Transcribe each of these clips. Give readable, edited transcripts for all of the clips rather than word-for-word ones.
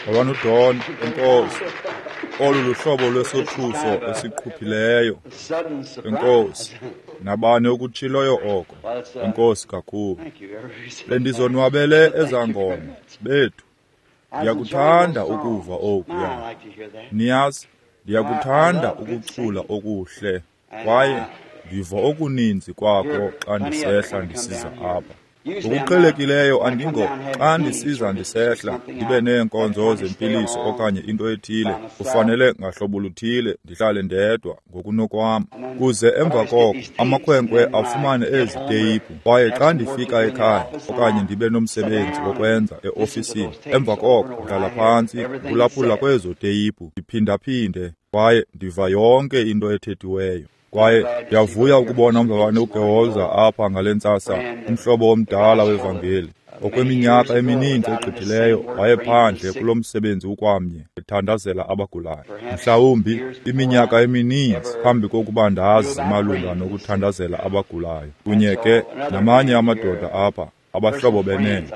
Mzalwana uDon, enkosi. Olu luhlobo lwesothuso esiqhuphileyo. Enkosi. Nabani okutshiloyo oko. Enkosi kakhulu. Bendizonwabele ezaa ngoma bethu. Ndiyakuthanda ukuva okuya. Niyazi, ndiyakuthanda ukucula okuhle kwaye ndiva okuninzi kwakho xa ndisehla ndisiza apha. Ngokuqhelekileyo andingo xa ndisiza ndisehla ndibe neenkonzo zempiliso okanye into ethile, kufanele ngahlobo luthile ndihlale ndedwa ngokunokwam. Kuze emva koko amakhwenkwe afumane ezi teyiphu, kwaye xa ndifika ekhaya okanye ndibe nomsebenzi wokwenza eofisini, emva koko ndihlala phantsi ndiphulaphula kwezo teyiphu ndiphindaphinde kwaye ndiva yonke into ethethiweyo. Kwaye ndiyavuya ukubona umzalwane uGeholza apha ngale ntsasa, umhlobo omdala wevangeli. Okweminyaka emininzi egqithileyo wayephandle kulo msebenzi ukwamnye ethandazela abagulayo. Mhlawumbi iminyaka emininzi phambi kokuba ndazi malunga nokuthandazela abagulayo. Kunye ke namanye amadoda apha, abahlobo benene.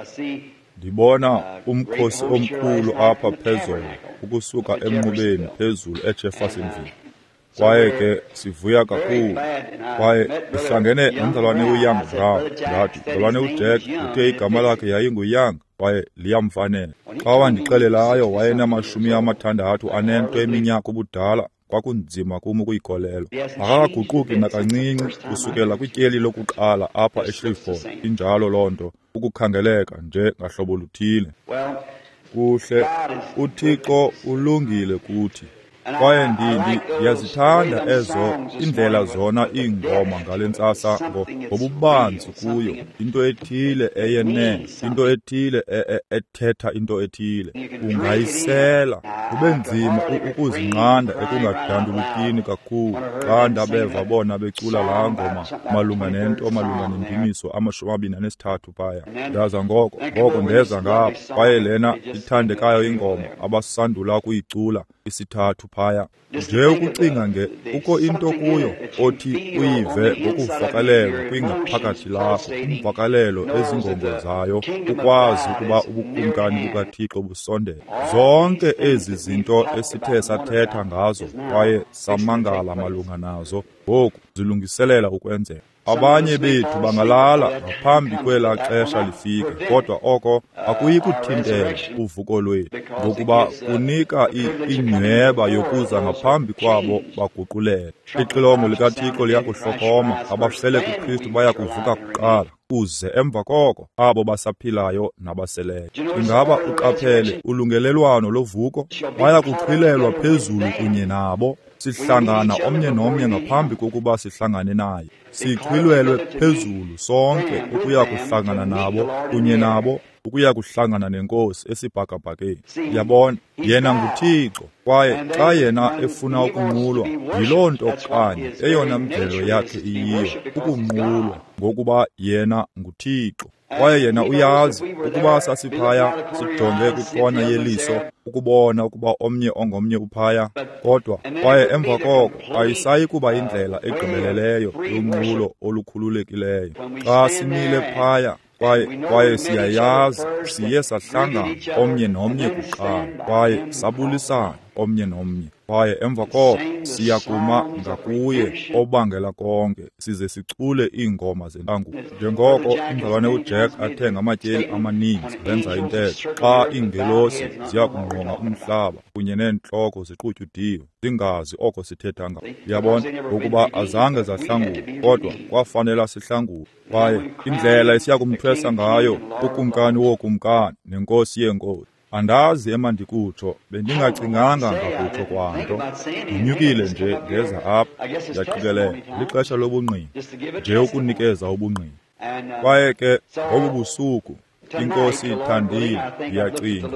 Ndibona umkhosi omkhulu apha phezolo ukusuka emnqubeni phezulu eJeffersonville. Kwaye ke sivuya kakhulu. Kwaye ndihlangene nomzalwane uYoung Brown. Ndathi, mzalwane uJack uthe igama lakhe yayinguYoung kwaye liyamfanela. Xa wandixelelayo wayenama-64 eminyaka ubudala, kwakunzima kum ukuyikholelwa. Akakaguquki nakancinci kusukela kwityeli lokuqala apha eShreveport. Injalo loo nto, ukukhangeleka nje ngahlobo luthile. Kuhle, uThixo ulungile kuthi. Kwaye ndiyazithanda ezo indlela zona iingoma ngale ntsasa ngobubanzi kuyo, into ethile eyenene, into ethile ethetha into ethile. Ungayisela, kube nzima ukuzinqanda ekungadandulukini kakhulu xa ndabeva bona becula laa ngoma malunga nento malunga nendumiso 23 phaya. Ndaza ngoko ndeza ngapha, kwaye lena ithandekayo ingoma abasandula kuyicula isithathu phaya. Nje ukucinga nge kukho into kuyo othi uyive ngokuvakalelwa kwingaphakathi lakho, imvakalelo ezingongo zayo, ukwazi ukuba ubukumkani bukaThixo busondele. Zonke ezi zinto esithe sathetha ngazo kwaye samangala malunga nazo ngoku zilungiselela ukwenzeka. Abanye bethu bangalala ngaphambi kwelaa xesha lifike, kodwa oko akuyi kuthintela uvuko lwethu, ngokuba kunika inyweba yokuza ngaphambi kwabo baguqulele. Ixilongo likaThixo liyakuhlokoma, abafele kuKristu baya kuvuka kuqala, kuze emva koko abo basaphilayo nabaseleyo. Ingaba uqaphele ulungelelwano lovuko? Baya kuxhilelwa phezulu kunye nabo. Sihlangana omnye nomnye ngaphambi kokuba sihlangane naye. Sixhwilelwe phezulu sonke ukuya kuhlangana nabo, kunye nabo, ukuya kuhlangana nenkosi esibhakabhakeni. Yabona, yena nguThixo, kwaye xa yena efuna ukunqulwa, yiloo nto kanye eyona mvelo yakhe iyiyo, ukunqulwa, ngokuba yena nguThixo. Kwaye yena uyazi ukuba sasiphaya sijonge kwikona yeliso ukubona ukuba omnye ongomnye uphaya, kodwa kwaye emva koko ayisayi kuba indlela egqibeleleyo yonqulo olukhululekileyo. Xa simile phaya kwaye siyayazi siye sahlangana omnye nomnye kuqala, kwaye sabulisana omnye nomnye, kwaye emva koko siyakuma ngakuye obangela konke size sicule iingoma zentangulo. Njengoko umzalwane uJack athe ngamatyeli amaninzi wenza intetho, xa iingelosi ziya kungqonga umhlaba kunye neentloko ziqutyudiwe zingazi oko sithetha ngako. Uyabona, ngokuba azange zahlangulwa, kodwa kwafanela sihlangulwe. Kwaye indlela esiya kumthwesa ngayo ukumkani wookumkani nenkosi yeenkosi. Andazi emandikutsho, bendingacinganga ngakutsho kwanto. Ndinyukile nje ndeza apha, ndiyaqikelela lixesha lobungqina, nje ukunikeza ubungqina. Kwaye ke ngobu busuku, iNkosi ithandile, ndiyacinga,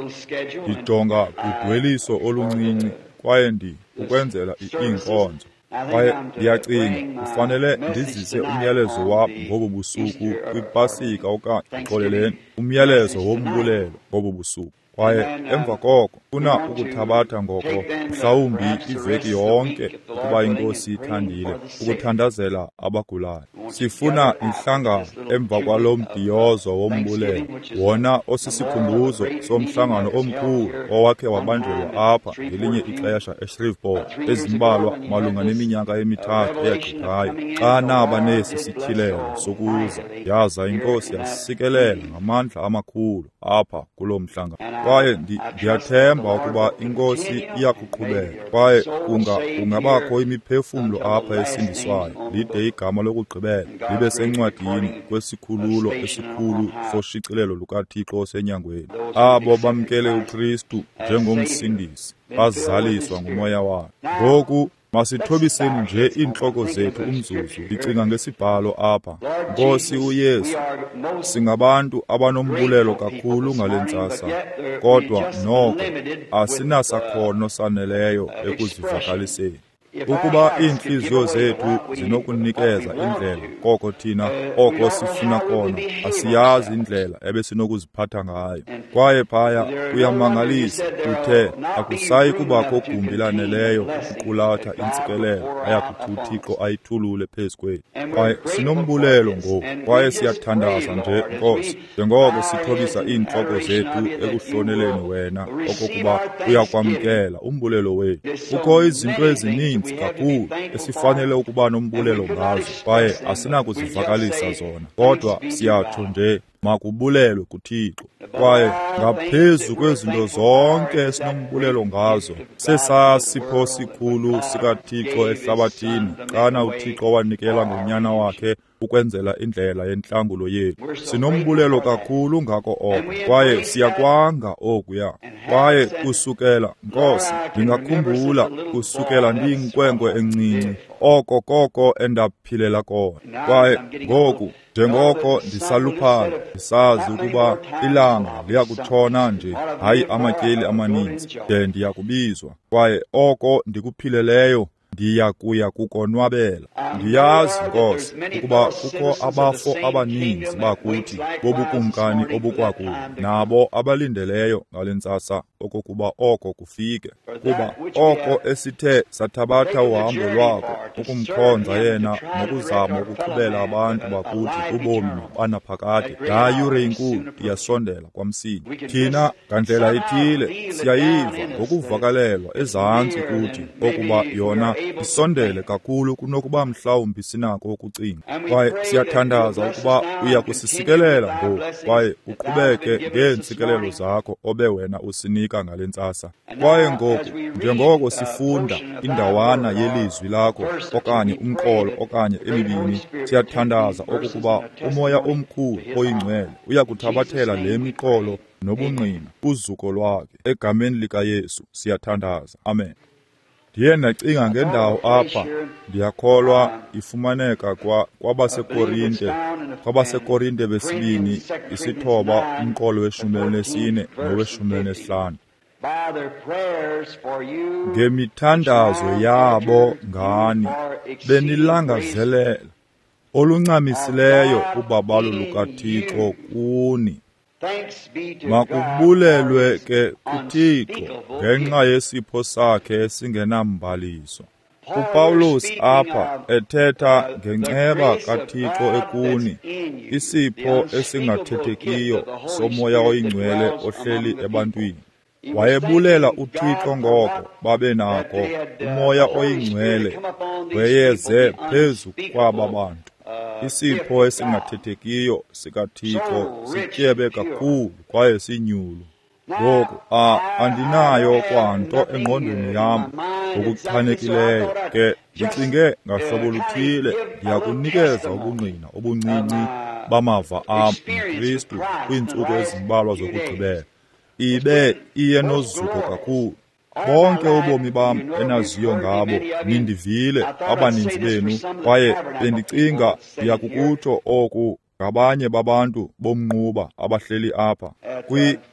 ndijonga kudweliso oluncinci kwaye ukwenzela iinkonzo. Kwaye ndiyacinga kufanele ndizise umyalezo wam ngobu busuku kwiPasika okanye xoleleni, umyalezo wombulelo ngobu busuku. Kwaye emva koko funa ukuthabatha ngoko mhlawumbi iveki yonke ukuba iNkosi ithandile ukuthandazela abagulayo. Sifuna inhlangano emva kwalo mbhiyozo wombulelo, wona osisikhumbuzo somhlangano omkhulu owakhe wabanjelwa apha ngelinye ixesha eShreveport ezimbalwa malunga neminyaka emithathu eyagqithayo, xa naba nesi sityhilelo sokuza yaza iNkosi yasikelela ngamandla amakhulu apha kuloo mhlangano. Kwaye ndiyathemba ukuba iNkosi iyakuqhubeka kwaye kungabakho imiphefumlo apha esindiswayo lide igama lokugqibela libe sencwadini kwesikhululo esikhulu soshicilelo lukaThixo osenyangweni. Abo bamkele uKristu njengomsindisi bazaliswa nguMoya wakhe. Ngoku masithobiseni nje iintloko zethu umzuzu. Ndicinga ngesibhalo apha. Nkosi uYesu, singabantu abanombulelo kakhulu ngale ntsasa, kodwa noko asinasakhono saneleyo ekuzivakaliseni. Ukuba iintliziyo zethu zinokunikeza indlela koko thina oko sifuna kona, asiyazi indlela ebesinokuziphatha ngayo. Kwaye phaya kuyamangalisa, uthe akusayi kubakho gumbi laneleyo ukuqulatha intsikelelo ayakuthi uThixo ayithulule phezu kwethu. Kwaye sinombulelo ngoku, kwaye siyathandaza nje, Nkosi, njengoko sithobisa iintloko zethu ekuhloneleni wena okokuba uyakwamkela umbulelo wethu. Kukho izinto ezininzi kakhulu esifanele ukuba nombulelo ngazo, kwaye asinakuzivakalisa zona, kodwa siyatsho nje makubulelwe kuThixo. Kwaye ngaphezu kwezinto zonke esinombulelo ngazo, sesasipho sikhulu sikaThixo ehlabathini xana uThixo wanikela ngonyana wakhe ukwenzela indlela yentlangulo yethu. Sinombulelo kakhulu ngako oko, kwaye siyakwanga okuya. Kwaye kusukela, Nkosi, ndingakhumbula kusukela ndiyinkwenkwe encinci, oko koko endaphilela kona. Kwaye ngoku njengoko ndisaluphala, ndisazi ukuba ilanga liyakutshona nje, hayi amatyeli amaninzi, de ndiyakubizwa. Kwaye oko ndikuphileleyo ndiyakuya kukonwabela. Ndiyazi, Nkosi, ukuba kukho abafo abaninzi bakuthi bobukumkani obukwakubo, nabo abalindeleyo ngale ntsasa okokuba oko kufike, kuba oko esithe sathabatha uhambo lwako ukumkhonza yena nokuzama ukuqhubela abantu bakuthi ubomi banaphakade, laa yure inkulu iyasondela kwamsinya. Thina ngandlela ithile siyayiva ngokuvakalelwa ezantsi kuthi okuba yona isondele kakhulu kunokuba mhlawumbi sinako ukucinga. Kwaye siyathandaza ukuba uya kusisikelela ngoku kwaye uqhubeke ngeentsikelelo zakho obe wena usinika ngale ntsasa. Kwaye ngoku njengoko sifunda indawana yelizwi lakho okanye umqolo okanye emibini, siyathandaza okokuba uMoya omkhulu oyingcwele uya kuthabathela le miqolo nobungqina uzuko lwakhe. Egameni likaYesu siyathandaza, amen. Ndiye ndacinga ngendawo apha, ndiyakholwa ifumaneka kwabaseKorinte, kwabaseKorinte besibini 9 umqolo we-14 nowe-15. Ngemithandazo yabo ngani benilangazelela oluncamisileyo ubabalo lukaThixo kuni. Makubulelwe ke kuThixo ngenxa yesipho sakhe esingenambaliso. UPawulos apha ethetha ngenceba kaThixo ekuni, isipho esingathethekiyo soMoya oyiNgcwele ohleli ebantwini. Wayebulela uThixo ngoko babe nako uMoya oyiNgcwele weyeze phezu kwaba bantu. Isipho esingathethekiyo sikaThixo sityebe kakhulu kwaye sinyulu. Ngoku andinayo kwanto engqondweni yam ngokuchanekileyo, ke ndicinge ngahlobo luthile ndiyakunikeza ubungqina obuncinci bamava am noKristu kwiintsuku ezimbalwa zokugqibela. Ibe iye nozuko kakhulu. Bonke ubomi bam enaziyo ngabo nindivile abaninzi benu, kwaye bendicinga ndiyakukutsho oku Ngabanye babantu bomnquba abahleli apha.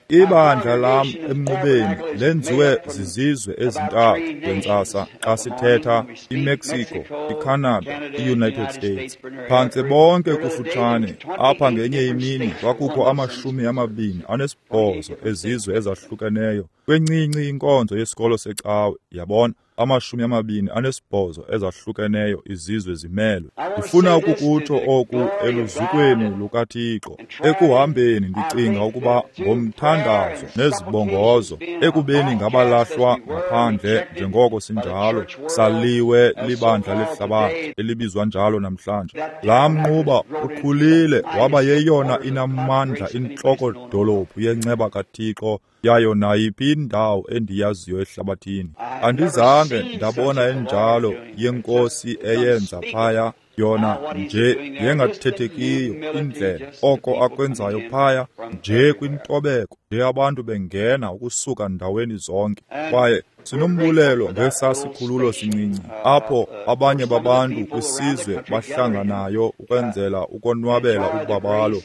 Ibandla lam emnqubeni lenziwe zizizwe ezintathu ngentsasa xa sithetha iMexico, iCanada, iUnited States. Phantse bonke kufutshane apha ngenye imini kwakukho 28 ezizwe ezahlukeneyo kwencinci inkonzo yesikolo secawe, yabona, 28 ezahlukeneyo izizwe zimelwe. Ndifuna ukukutsho oku eluzukweni lukaThixo. Ekuhambeni ndicinga ukuba ngomthandazo nezibongozo, ekubeni ngabalahlwa ngaphandle njengoko sinjalo, saliwe libandla lehlabathi elibizwa njalo namhlanje. Laa mnquba ukhulile waba yeyona inamandla intloko-dolophu yenceba kaThixo yayo nayiphi indawo endiyaziyo ehlabathini. Andizange ndabona enjalo yenkosi eyenza phaya, yona nje yengathethekiyo indlela oko akwenzayo phaya, nje kwintobeko nje abantu bengena ukusuka ndaweni zonke. Kwaye sinombulelo ngesasikhululo sincinci apho abanye babantu kwisizwe bahlanganayo ukwenzela ukonwabela ubabalo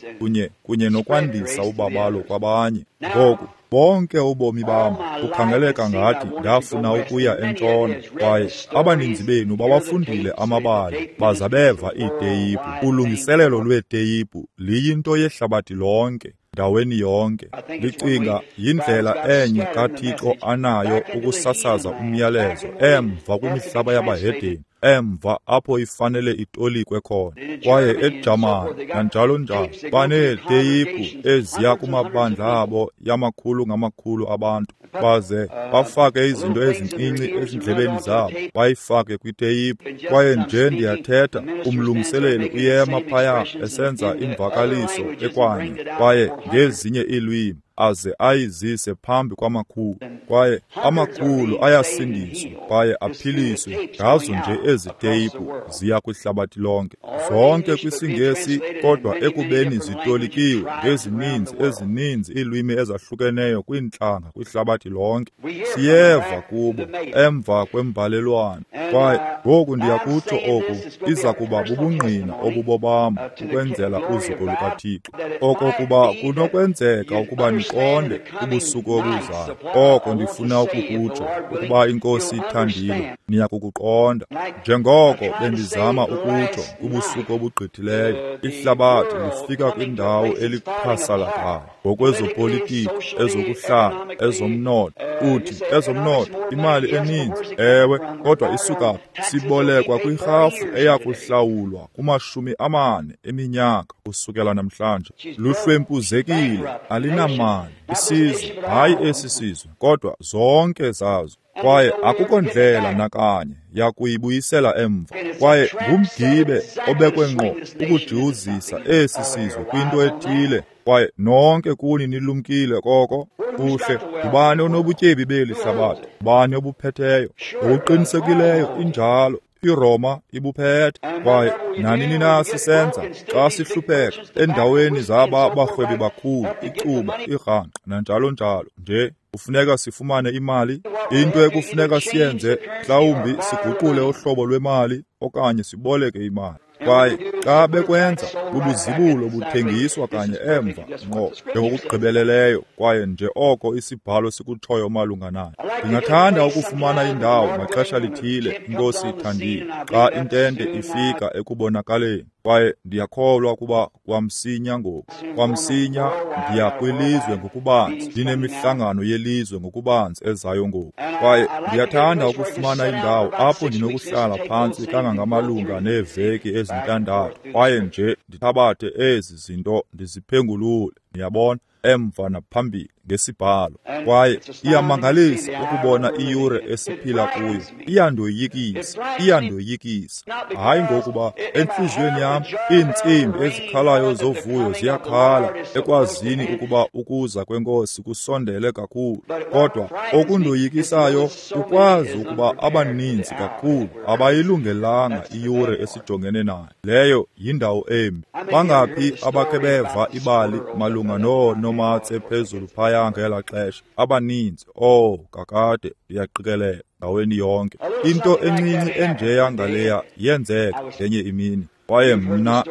kunye nokwandisa ubabalo kwabanye. Ngoku bonke ubomi bam bukhangeleka ngathi ndafuna ukuya entshona, kwaye abaninzi benu bawafundile amabali baza beva iiteyiphu. Ulungiselelo lweeteyiphu liyinto yehlabathi lonke, ndaweni yonke. Ndicinga yindlela enye kaThixo anayo ukusasaza umyalezo emva kwimihlaba yabahedeni, emva apho ifanele itolikwe khona. Kwaye eJamani nanjalo njalo baneeteyiphu eziya kumabandla abo yamakhulu ngamakhulu abantu, baze bafake izinto ezincinci ezindlebeni zabo, bayifake kwiteyiphu. Kwaye nje ndiyathetha, umlungiseleli uyema phaya esenza imvakaliso ekwanye kwaye ngezinye iilwimi, aze ayizise phambi kwamakhulu. Kwaye amakhulu ayasindiswa kwaye aphiliswe ngazo nje ezi teyiphu ziya kwihlabathi lonke, zonke kwisiNgesi, kodwa ekubeni zitolikiwe ngezininzi ezininzi iilwimi ezahlukeneyo kwiintlanga kwihlabathi lonke. Siyeva kubo emva kwembalelwano. Kwaye ngoku ndiyakutsho oku, iza kuba bubungqina obubobam ukwenzela uzuko lukaThixo, okokuba kunokwenzeka ukuba niqonde kubusuku obuzayo oko ndifuna ukukutsho, ukuba iNkosi ithandile niyakukuqonda. Njengoko bendizama ukutsho kubusuku obugqithileyo, ihlabathi lifika kwindawo eliqhasalakayo ngokwezopolitiko, ezokuhlala, ezomnotho. Uthi ezomnotho, imali eninzi, ewe, kodwa isuka phi? Sibolekwa kwirhafu eyakuhlawulwa kuma-40 eminyaka kusukela namhlanje. Luhlwempuzekile, alinamali isizwe, hayi esi sizwe, kodwa zonke zazo. Kwaye akukho ndlela nakanye yakuyibuyisela emva. Kwaye ngumgibe obekwe ngqo ukujiwuzisa esi sizwe kwinto ethile. Kwaye nonke kuni nilumkile koko. Kuhle, ngubani onobutyebi beli hlabathi? Ngubani obuphetheyo? Ngokuqinisekileyo injalo, iRoma ibuphethe. Kwaye nanini na sisenza, xa sihlupheka endaweni zaba barhwebi bakhulu, icuba, irhangqa nanjalo njalo nje, kufuneka sifumane imali. Into ekufuneka siyenze, mhlawumbi siguqule uhlobo lwemali okanye siboleke imali. Kwaye xa bekwenza, bubuzibulo buthengiswa kanye emva ngqo njengokugqibeleleyo, kwaye nje oko isibhalo sikutshoyo malunga nayo. Ndingathanda ukufumana indawo ngaxesha lithile, iNkosi ithandile, xa intente ifika ekubonakaleni. Kwaye ndiyakholwa ukuba kwamsinya ngoku, kwamsinya ndiya kwilizwe ngokubanzi, ndinemihlangano yelizwe ngokubanzi ezayo ngoku. Kwaye ndiyathanda ukufumana indawo apho ndinokuhlala phantsi kangangamalunga neeveki ezintandathu, kwaye nje ndithabathe ezi zinto ndiziphengulule, niyabona, emva naphambili ngesibhalo. Kwaye iyamangalisa ukubona iyure esiphila kuyo. Iyandoyikisa, iyandoyikisa. Hayi ngokuba entliziyweni yam iintsimbi ezikhalayo zovuyo ziyakhala ekwazini ukuba ukuza kweNkosi kusondele kakhulu, kodwa okundoyikisayo ukwazi ukuba abaninzi kakhulu abayilungelanga iyure esijongene nayo. Leyo yindawo embi. Bangaphi abakhe beva ibali malunga noonomatse phezulu phaya ngela xesha? Abaninzi. Oh, kakade ndiyaqikelela ndaweni yonke. Into encinci enjeya ngaleya yenzeka ngenye imini. Kwaye mna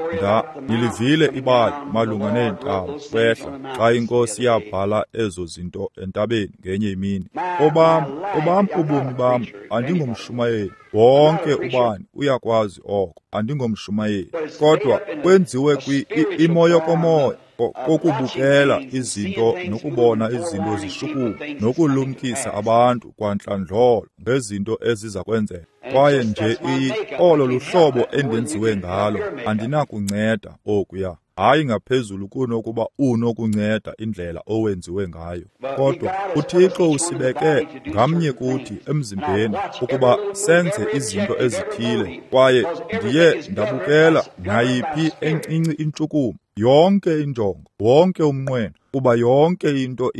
nilivile ibali malunga neentaba kwehla xa iNkosi yabhala ezo zinto entabeni ngenye imini. Obam ubomi bam, andingomshumayeli. Wonke ubani uyakwazi oko, andingomshumayeli. Kodwa kwenziwe imo yokomoya kokubukela izinto nokubona izinto zishukuma nokulumkisa abantu kwantlandlolo ngezinto eziza kwenzeka. Kwaye nje olo luhlobo endenziwe ngalo, andinakunceda okuya. Hayi ngaphezulu kunokuba unokunceda indlela owenziwe ngayo. Kodwa uThixo usibeke ngamnye kuthi emzimbeni ukuba senze izinto ezithile, kwaye ndiye ndabukela nayiphi encinci intshukumo, yonke injongo, wonke umnqweno, kuba yonke into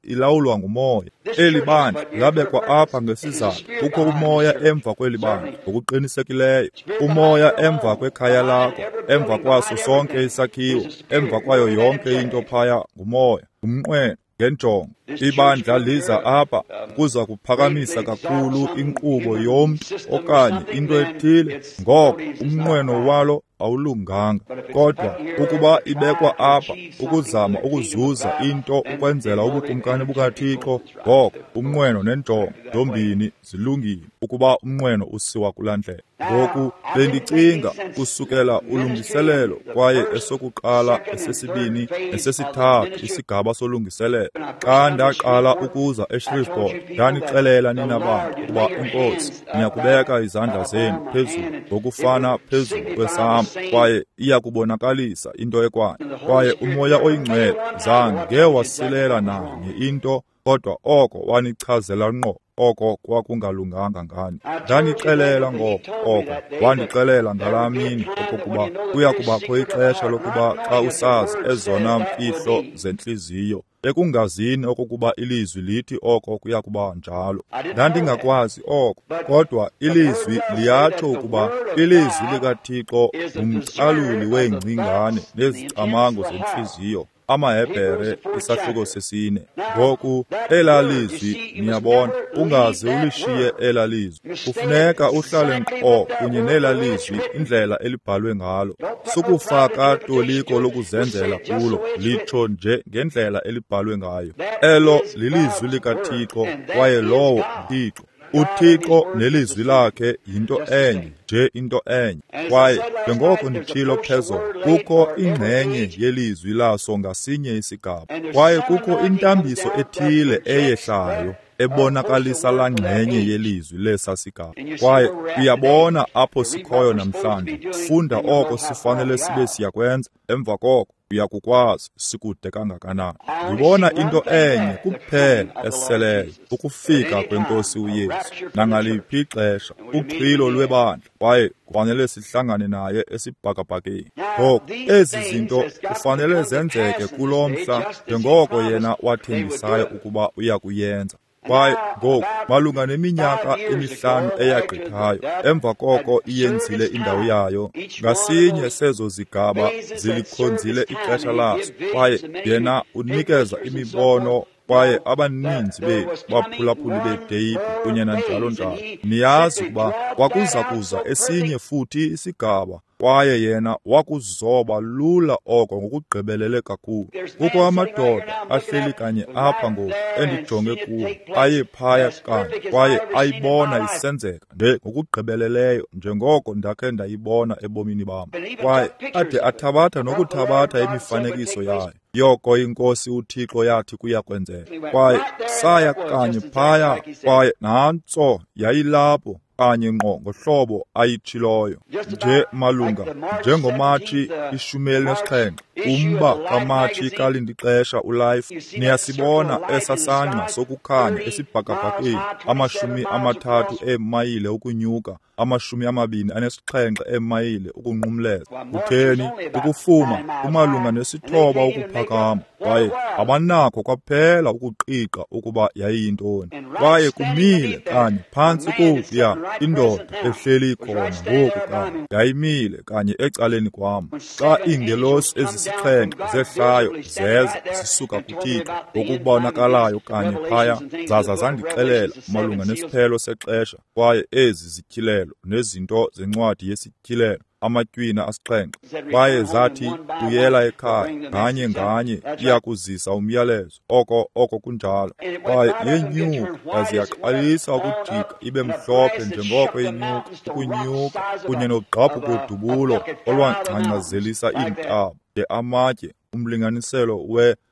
ilawulwa ngumoya. Eli bandla labekwa apha ngesizathu. Kukho umoya emva kweli bandla ngokuqinisekileyo, umoya emva kwekhaya lakho, emva kwaso sonke isakhiwo, emva kwayo yonke into phaya ngumoya, ngumnqweno, ngenjongo. Ibandla liza apha kuza kuphakamisa kakhulu inkqubo yomntu okanye into ethile, ngoko umnqweno walo awulunganga. Kodwa ukuba ibekwa apha ukuzama ukuzuza into ukwenzela ubukumkani bukaThixo, ngoko umnqweno nenjongo zombini zilungile ukuba umnqweno usiwa kulaa ndlela. Ngoku bendicinga kusukela ulungiselelo, kwaye esokuqala, esesibini, esesithathu isigaba solungiselelo. Xa ndaqala ukuza eShreveport, ndanixelela nina bantu ukuba iNkosi niyakubeka izandla zenu phezulu ngokufana phezulu kwesam, kwaye iyakubonakalisa into ekwayo. Kwaye uMoya oyiNgcwele zange wasilela nanye into, kodwa oko wanichazela ngqo oko kwakungalunganga ngani. Ndanixelela ngoko oko, wandixelela ngalaa mini okokuba kuya kubakho ixesha lokuba xa usazi ezona mfihlo zentliziyo, ekungazini okokuba ilizwi lithi oko kuya kuba njalo. Ndandingakwazi oko, kodwa ilizwi liyatsho ukuba ilizwi likaThixo ngumcaluli weengcingane nezicamango zentliziyo. AmaHebhere isahluko 4. Ngoku elaa lizwi, niyabona, ungaze ulishiye elaa lizwi. Kufuneka uhlale nkqo kunye nelaa lizwi indlela elibhalwe ngalo. Sukufaka toliko lokuzenzela kulo, litsho nje ngendlela elibhalwe ngayo. Elo lilizwi likaThixo, kwaye lowo nguThixo. UThixo nelizwi lakhe yinto enye, nje into enye. Kwaye njengoko nditshilo phezolo, kukho ingxenye yelizwi laso ngasinye isigaba, kwaye kukho intambiso ethile eyehlayo ebonakalisa laa ngxenye yelizwi lesa sigaba. Kwaye uyabona apho sikhoyo namhlanje. Funda oko sifanele sibe siyakwenza, emva koko uyakukwazi sikude kangakanani. Ndibona into enye kuphela eseleyo, ukufika kweNkosi uYesu nangaliphi ixesha, uxhilo lwebandla, kwaye kufanele sihlangane naye esibhakabhakeni. Ngoku ezi zinto kufanele zenzeke kulo mhla njengoko yena wathembisayo ukuba uya kuyenza. Kwaye ngoku malunga neminyaka emihlanu eyagqithayo, emva koko iyenzile indawo yayo, ngasinye sezo zigaba zilikhonzile ixesha laso, kwaye yena unikeza imibono, kwaye abaninzi bethu baphulaphuli beeteyiphu kunye nanjalo njalo. Niyazi ukuba kwakuza kuza esinye futhi isigaba, kwaye yena wakuzoba lula oko ngokugqibelele kakhulu. Kukho amadoda ahleli kanye apha ngoku endijonge kuwo, aye phaya kanye, kwaye ayibona isenzeka nje ngokugqibeleleyo njengoko ndakhe ndayibona ebomini bam. Kwaye ade athabatha nokuthabatha imifanekiso yayo, yoko iNkosi uThixo yathi kuya kwenzeka. Kwaye saya kanye phaya, kwaye nantso yayilapho kanye ngqo ngohlobo ayitshiloyo, nje malunga njengoMatshi 17, umba kaMatshi kalindixesha uLife. Niyasibona esa sangqa sokukhanya esibhakabhakeni, 30 eemayile ukunyuka, 27 eemayile ukunqumleza. Kutheni? Ukufuma kumalunga 9 ukuphakama, kwaye abanakho kwaphela ukuqiqa ukuba yayiyintoni. Kwaye kumile kanye phantsi kokuya indoda ehleli khona ngoku kanye, yayimile kanye ecaleni kwam xa iingelosi ezisixhenxe zehlayo zeza zisuka kuThixo ngokubonakalayo kanye phaya, zaza zandixelela malunga nesiphelo sexesha, kwaye ezi zityhilelo nezinto zencwadi yesityhilelo Amatywina 7. Kwaye zathi, buyela ekhaya, nganye nganye iyakuzisa umyalezo. Oko kunjalo. Kwaye yenyuka, yaze yaqalisa ukujika ibe mhlophe njengoko inyuka, ukunyuka, kunye nogqabhuko-dubulo olwangcangcazelisa iintaba, de amatye, umlinganiselo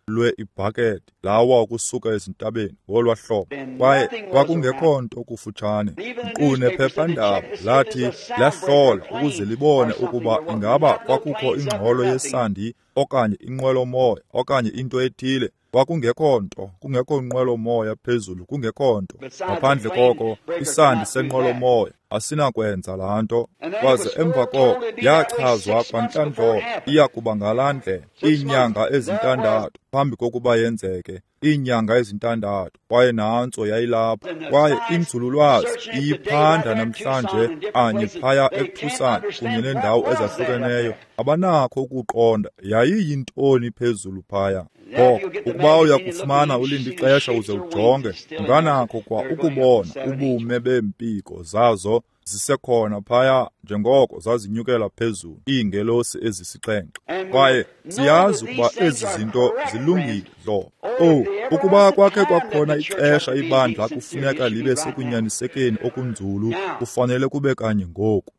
lwe-ibhakede lawa ukusuka ezintabeni ngolwa hlobo. Kwaye kwakungekho nto kufutshane. Nkqu nephephandaba lathi lahlola ukuze libone ukuba ingaba kwakukho ingxolo yesandi okanye inqwelomoya okanye into ethile. Kwakungekho nto, kungekho nqwelomoya phezulu, kungekho nto. Ngaphandle koko, isandi senqwelomoya asinakwenza laa nto. Kwaze emva koko yachazwa kwantlandlolo iya kuba ngalaa ndlela, iinyanga ezi-6 phambi kokuba yenzeke, iinyanga ezi-6, kwaye nantso yayilapho. Kwaye inzululwazi iyiphanda namhlanje anye phaya eTucson kunye neendawo ezahlukeneyo, abanakho ukuqonda yayiyintoni phezulu phaya. Ngoko ukuba uyakufumana ulinde ixesha uze ujonge, unganakho kwa ukubona ubume beempiko zazo zisekhona phaya njengoko zazinyukela phezulu, iingelosi ezi-7. Kwaye siyazi ukuba ezi zinto zilungile hlobo. Owu, ukuba kwakhe kwakhona ixesha ibandla kufuneka libe sekunyanisekeni okunzulu, kufanele kube kanye ngoku.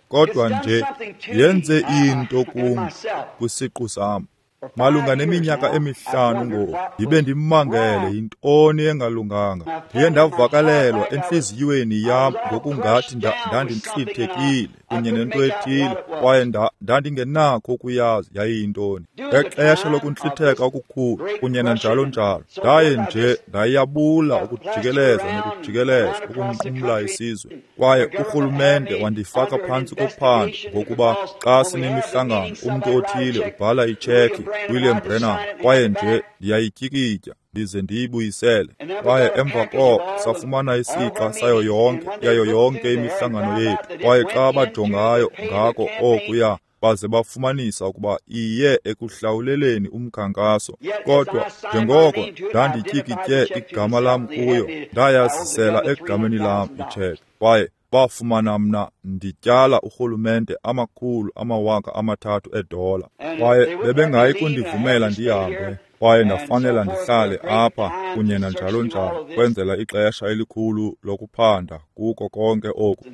Kodwa nje yenze into kum kwisiqu sam. Malunga neminyaka 5 ngoku, ndibe ndimangele yintoni engalunganga. Ndiye ndavakalelwa entliziyweni yam ngokungathi ndandintlithekile kunye nento ethile, kwaye ndandingenakho ukuyazi yayiyintoni. Ngexesha lokuntlitheka okukhulu kunye nanjalo njalo, ndaye nje ndayabula ukujikeleza nokujikeleza ukunqumla isizwe. Kwaye urhulumente wandifaka phantsi kophando ngokuba xa sinemihlangano umntu othile ubhala itshekhi, William Branham, kwaye nje ndiyayityikitya ndize ndiyibuyisele. Kwaye emva koko safumana isixa sayo yonke imihlangano yethu. Kwaye xa bajongayo ngako okuya, baze bafumanisa ukuba iye ekuhlawuleleni umkhankaso. Kodwa njengoko ndandityikitye igama lam kuyo, ndayazisela egameni lam itshekhi. Kwaye bafumana mna ndityala urhulumente $300,000. Kwaye bebengayi kundivumela ndihambe, kwaye ndafanela ndihlale apha kunye nanjalo njalo, kwenzela ixesha elikhulu lokuphanda kuko konke oku.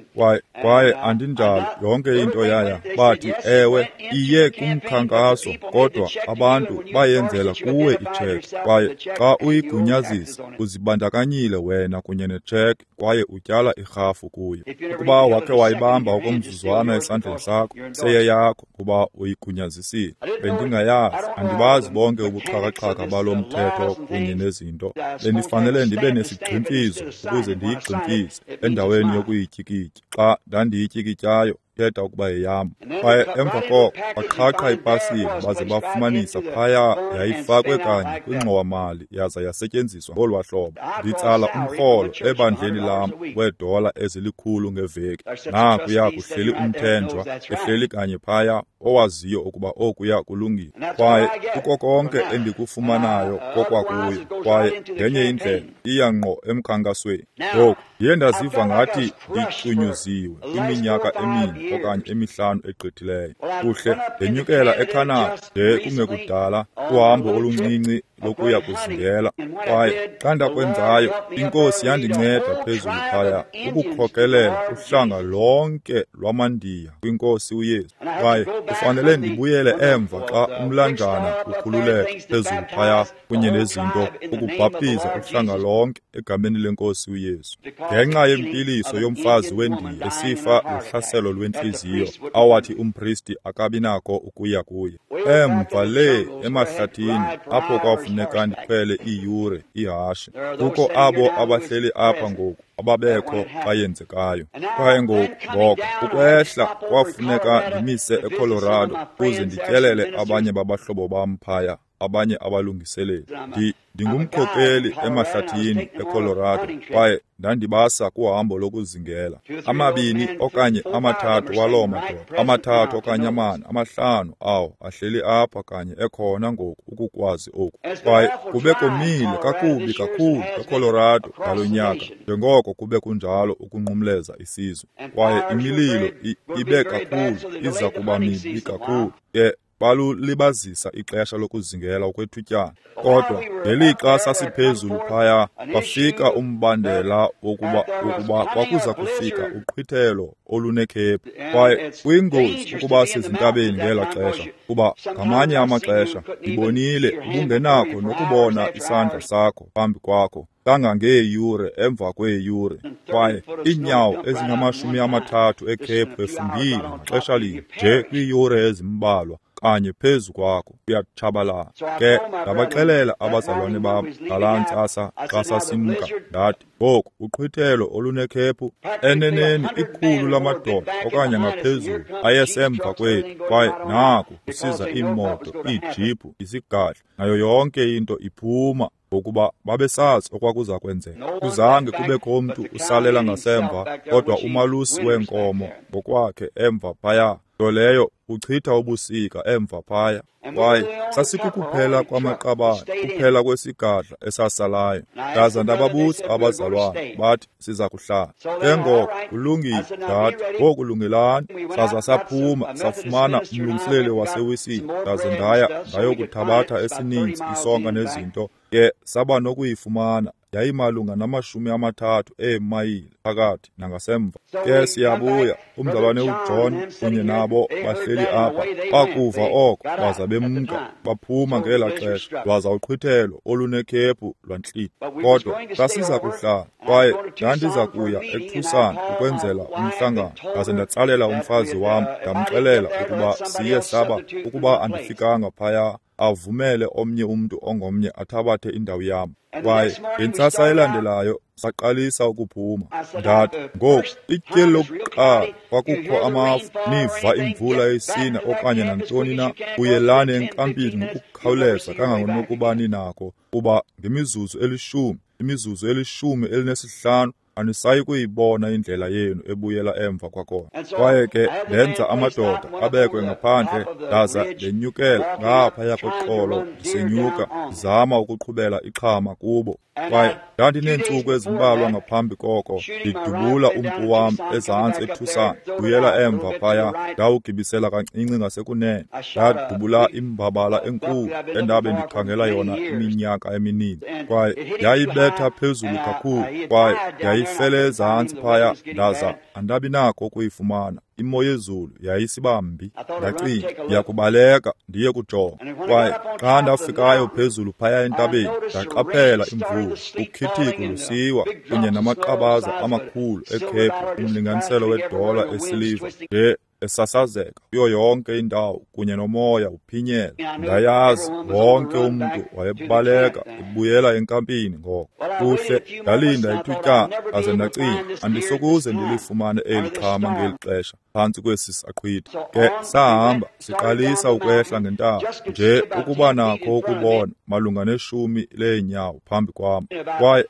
Kwaye andinjalo, yonke into yaya. Bathi, ewe, iye kumkhankaso, kodwa abantu bayenzela kuwe itshekhi. Kwaye xa uyigunyazisa, uzibandakanyile wena kunye netshekhi kwaye utyala irhafu kuyo. Ukuba wakhe wayibamba okomzuzwana esandleni sakho, seyeyakho kuba uyigunyazisile. Bendingayazi, andibazi bonke ubuxhakaxhaka balo mthetho kunye nezinto. Bendifanele ndibe nesigximfizo ukuze ndiyigximfize endaweni yokuyityikitya. Xa ndandiyityikityayo, thetha ukuba yeyam. Kwaye emva koko baqhaqha ipasile baze bafumanisa phaya yayifakwe kanye kwingxowa-mali yaza yasetyenziswa ngolwa hlobo. Nditsala umrholo ebandleni lam $100 ngeveki. Nakuya kuhleli umthenjwa ehleli kanye phaya owaziyo ukuba okuya kulungile. Kwaye kuko konke endikufumanayo kokwakuyo. Kwaye ngenye indlela iya ngqo emkhankasweni. Ngoku ndiye ndaziva ngathi ndicunyuziwe kwiminyaka 4 okanye 5 egqithileyo. Kuhle, ndenyukela eCanada nje kungekudala, uhambo oluncinci lokuya kuzingela. Kwaye xa ndakwenzayo, iNkosi yandinceda phezulu phaya ukukhokelela uhlanga lonke lwamaNdiya kwiNkosi uYesu. Kwaye kufanele ndibuyele emva xa umlanjana ukhululeka phezulu phaya kunye nezinto, ukubhaptiza uhlanga lonke egameni leNkosi uYesu. Ngenxa yempiliso yomfazi weNdiya esifa luhlaselo lwentliziyo awathi umpristi akabi nako ukuya kuye. Emva le emahlathini apho kwafuneka ndikhwele iiyure ihashe. Kukho abo abahleli apha ngoku ababekho xa yenzekayo. Kwaye ngoku ukwehla kwafuneka ndimise eColorado ukuze ndityelele abanye babahlobo bam phaya. abanye abalungiseleli. Ndingumkhokeli emahlathini eColorado, kwaye ndandibasa kuhambo lokuzingela. 2 okanye 3 waloo madoda, 3 okanye 4, 5 awo ahleli apha kanye ekhona ngoku ukukwazi oku. Kwaye kube komile kakubi kakhulu eColorado ngalo nyaka, njengoko kube kunjalo ukunqumleza isizwe. Kwaye imililo ibe kakhulu, iza kuba mibi kakhulu. Ke balulibazisa ixesha lokuzingela okwethutyana. Kodwa ngelixa sasiphezulu phaya, kwafika umbandela wokuba kwakuza kufika uqhwithelo olunekhephu. Kwaye kuyingozi ukuba sezintabeni ngela xesha, kuba ngamanye amaxesha ndibonile ubungenakho nokubona isandla sakho phambi kwakho kangangeeyure emva kweeyure. Kwaye iinyawo ezingama-30 ekhephu efumbile ngaxesha linye nje kwiiyure ezimbalwa kanye phezu kwakho, uyatshabalala. Ke ndabaxelela abazalwane bam ngalaa ntsasa xa sasimka, ndathi, ngoku uqhwithelo olunekhephu, eneneni 100 lamadoda okanye ngaphezulu ayesemva kwethu, kwaye naku kusiza iimoto, iijiphu, isigadla, nayo yonke into iphuma, ngokuba babesazi okwakuza kwenzeka. Kuzange kubekho mntu usalela ngasemva, kodwa umalusi weenkomo ngokwakhe emva phaya, nto leyo uchitha ubusika emva phaya. Kwaye sasikukuphela kwamaqabane, kuphela kwesigadla esasalayo. Ndaza ndababuza abazalwane, bathi siza kuhlala. Ke ngoko kulungile, ndathi, ngoku lungelani. Saza saphuma, safumana umlungiseleli waseWisile. Ndaze ndaya ndayokuthabatha esininzi isonka nezinto. Ke saba nokuyifumana, yayimalunga nama-30 eemayile phakathi nangasemva. Ke siyabuya, umzalwane uJohn kunye nabo bahleli apha, bakuva oko baza bemka, baphuma ngela xesha, lwaza uqhwithelo olunekhephu lwantlitha. Kodwa sasiza kuhlala, kwaye ndandiza kuya eTucson ukwenzela umhlangano. Ndaze ndatsalela umfazi wam, ndamxelela ukuba siye saba, ukuba andifikanga phaya, avumele omnye umntu ongomnye athabathe indawo yam. Kwaye ngentsasa elandelayo saqalisa ukuphuma. Ndathi, ngoku ityeli lokuqala kwakukho amafu, niva imvula isina okanye nantoni na, buyelani enkampini ngokukhawuleza kangangokuba ninako, kuba ngemizuzu 10, imizuzu 15, anisayi kuyibona indlela yenu ebuyela emva kwakhona. Kwaye ke ndenza amadoda abekwe ngaphandle, ndaza ndenyukela ngaphaya koxolo ndisenyuka, ndizama ukuqhubela ixhama kubo. Kwaye ndandineentsuku ezimbalwa ngaphambi koko ndidubula umpu wam ezantsi eTucson, buyela emva phaya, ndawugibisela kancinci ngasekunene, ndadubula imbabala enkulu endabe ndikhangela yona iminyaka emininzi. Kwaye yayibetha phezulu kakhulu, kwaye yayifele ezantsi phaya, ndaza andabi nako ukuyifumana. Imo yezulu yayisibambi. Ndacinga, ndiyakubaleka ndiye kujonga. Kwaye xa ndafikayo phezulu phaya entabeni, ndaqaphela imvula, ukhithiko lusiwa kunye namaqabaza amakhulu ekhephu, umlinganiselo wedola esiliva nje esasazeka kuyo yonke indawo, kunye nomoya uphinyela. Ndayazi wonke umntu wayebaleka ebuyela enkampini ngoko. Kuhle, ndalinda ithutyana, aze ndacinga, andisokuze ndilifumane eli xhama ngeli xesha phantsi kwesi saqhwitha. Ke sahamba siqalisa ukwehla ngentaba, nje ukuba nakho ukubona malunga 10 leenyawo phambi kwam. Kwaye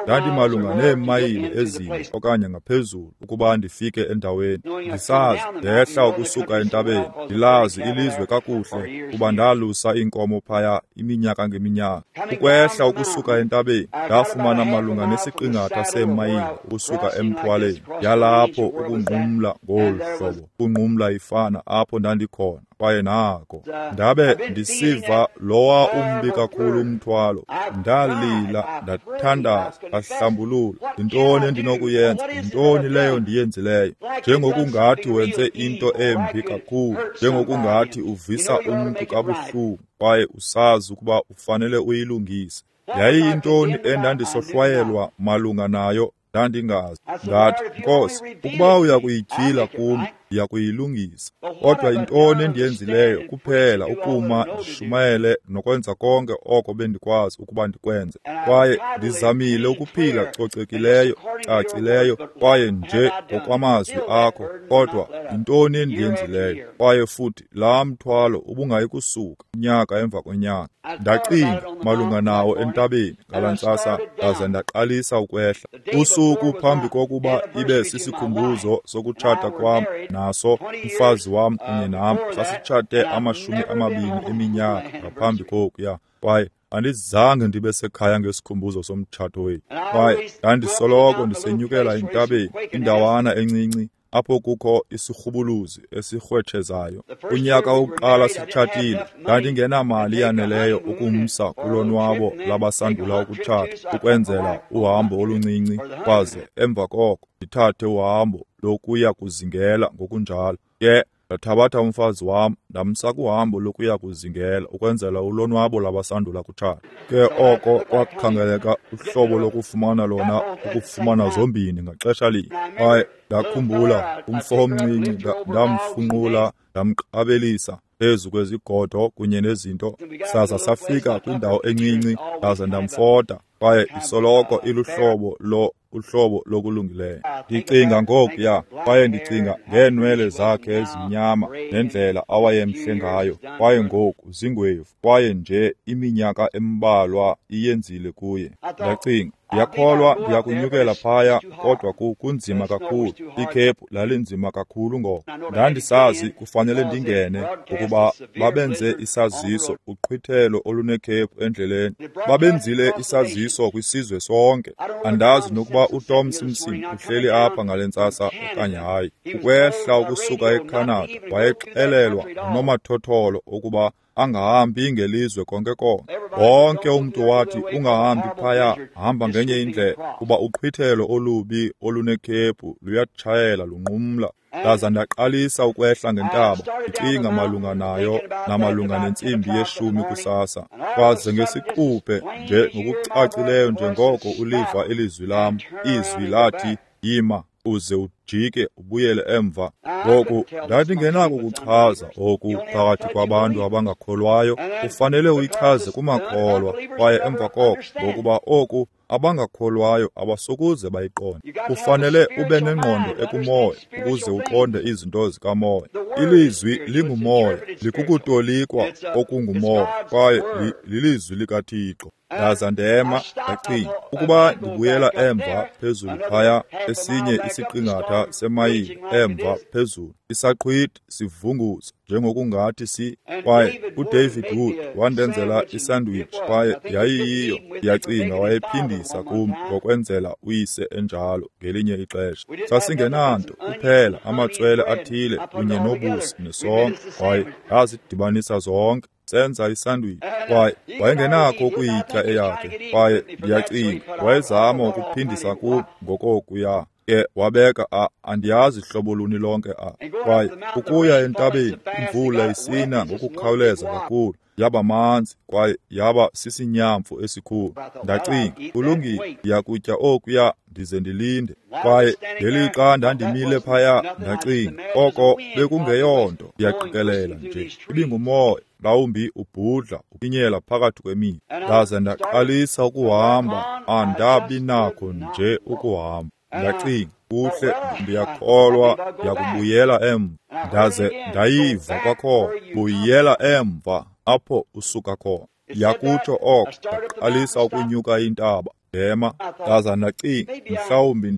ndandimalunga neemayile 4 okanye ngaphezulu ukuba ndifike endaweni. Ndisazi ndehla ukusuka entabeni, ndilazi ilizwe kakuhle kuba ndalusa iinkomo phaya iminyaka ngeminyaka. Ukwehla ukusuka entabeni, ndafumana malunga nesiqingatha seemayile ukusuka emthwaleni, yalapho ukunqumla ngolu hlobo, ukunqumla ifana apho ndandikhona. Kwaye nako ndabe ndisiva lowa umbi kakhulu umthwalo. Ndalila, ndathandaza, ndahlambulula. Yintoni endinokuyenza? Yintoni leyo ndiyenzileyo? Njengokungathi wenze into embi kakhulu, njengokungathi uvisa umntu kabuhlungu, kwaye usazi ukuba ufanele uyilungise. Yayiyintoni endandisohlwayelwa malunga nayo? Ndandingazi. Ndathi, Nkosi, ukuba uya kuyityhila kum, Ndiyakuyilungisa. Kodwa yintoni endiyenzileyo kuphela ukuma ndishumayele nokwenza konke oko bendikwazi ukuba ndikwenze. Kwaye ndizamile ukuphila cocekileyo, cacileyo, kwaye nje ngokwamazwi akho. Kodwa yintoni endiyenzileyo? Kwaye futhi laa mthwalo ubungayi kusuka unyaka emva konyaka. Ndacinga malunga nawo entabeni ngalaa ntsasa, ndaze ndaqalisa ukwehla. Usuku phambi kokuba ibe sisikhumbuzo sokutshata kwam naso, umfazi wam kunye nam sasitshate 20 eminyaka ngaphambi kokuya, kwaye andizange ndibe sekhaya ngesikhumbuzo somtshato wethu. Kwaye ndandisoloko ndisenyukela entabeni, indawana encinci apho kukho isirhubuluzi esirhwetshezayo. Unyaka wokuqala sitshatile, ndandingenamali yaneleyo ukumsa kulonwabo labasandula ukutshata ukwenzela uhambo oluncinci, kwaze emva koko ndithathe uhambo lokuya kuzingela ngokunjalo. Ke ndathabatha umfazi wam ndamsa kuhambo lokuya kuzingela ukwenzela ulonwabo labasandula kutshata. Ke oko kwakhangeleka uhlobo lokufumana lona, ukufumana zombini ngaxesha linye. Kwaye ndakhumbula umfo omncinci, ndamfunqula, ndamqabelisa phezu kwezigodo kunye nezinto. Saza safika kwindawo encinci, ndaza ndamfota, kwaye isoloko iluhlobo uhlobo lokulungileyo. Ndicinga ngokuya, kwaye ndicinga ngeenwele zakhe ezimnyama nendlela awayemhle ngayo, kwaye ngoku zingwevu, kwaye nje iminyaka embalwa iyenzile kuye. Ndacinga, ndiyakholwa ndiyakunyukela phaya, kodwa kunzima kakhulu. Ikhephu lalinzima kakhulu ngoko. Ndandisazi kufanele ndingene, ngokuba babenze isaziso, uqhwithelo olunekhephu endleleni. Babenzile isaziso kwisizwe sonke. Andazi nokuba uTom Simpson uhleli apha ngale ntsasa okanye hayi. Ukwehla ukusuka eCanada, wayexelelwa ngunomathotholo ukuba angahambi ngelizwe konke konke. Wonke umntu wathi, ungahambi phaya, hamba ngenye indlela, kuba uqhwithelo olubi olunekhephu luyatshayela lunqumla. Ndaza ndaqalisa ukwehla ngentaba, ndicinga malunga nayo namalunga nentsimbi 10 kusasa. Kwaze ngesiquphe nje ngokucacileyo njengoko uliva ilizwi lam, izwi lathi, yima uze ujike ubuyele emva. Ngoku ndandingenako ukuchaza oku phakathi kwabantu abangakholwayo. Ufanele uyichaze kumakholwa, kwaye emva koko, ngokuba oku abangakholwayo abasokuze bayiqonde. Ufanele ube nengqondo ekumoya ukuze uqonde izinto zikamoya. Ilizwi lingumoya, likukutolikwa okungumoya, kwaye lilizwi likaThixo. Ndaza ndema, ndacinga, ukuba ndibuyela emva phezulu phaya, esinye isiqingatha semayile emva phezulu, isaqhwithi sivunguza njengokungathi si. Kwaye uDavid Wood wandenzela isandwich, kwaye yayiyiyo, ndiyacinga wayephindisa kum ngokwenzela uyise enjalo ngelinye ixesha. Sasingenanto kuphela amatswele athile kunye nobusi nesonka, kwaye ndazidibanisa zonke, senza isandwich. Kwaye wayengenakho ukuyitya eyakhe, kwaye ndiyacinga wayezama ukuphindisa kum ngokokuya. Ke wabeka andiyazi hlobo luni lonke Kwaye ukuya entabeni, imvula isina ngokukhawuleza kakhulu, yaba manzi kwaye yaba sisinyamfu esikhulu. Ndacinga, kulungile, ndiyakutya okuya ndize ndilinde. Kwaye ngelixa ndandimile phaya, ndacinga, oko bekungeyonto, ndiyaqikelela nje ibingumoya, mhlawumbi ubhudla uphinyela phakathi kwemithi. Ndaze ndaqalisa ukuhamba, andabi nakho nje ukuhamba. Ndacinga, kuhle, ndiyakholwa ndiyakubuyela emva. Ndaze ndayiva kwakhona, buyela emva apho usuka khona. Yakutsho oko, ndaqalisa ukunyuka intaba, ndema. Ndaza ndacinga, mhlawumbi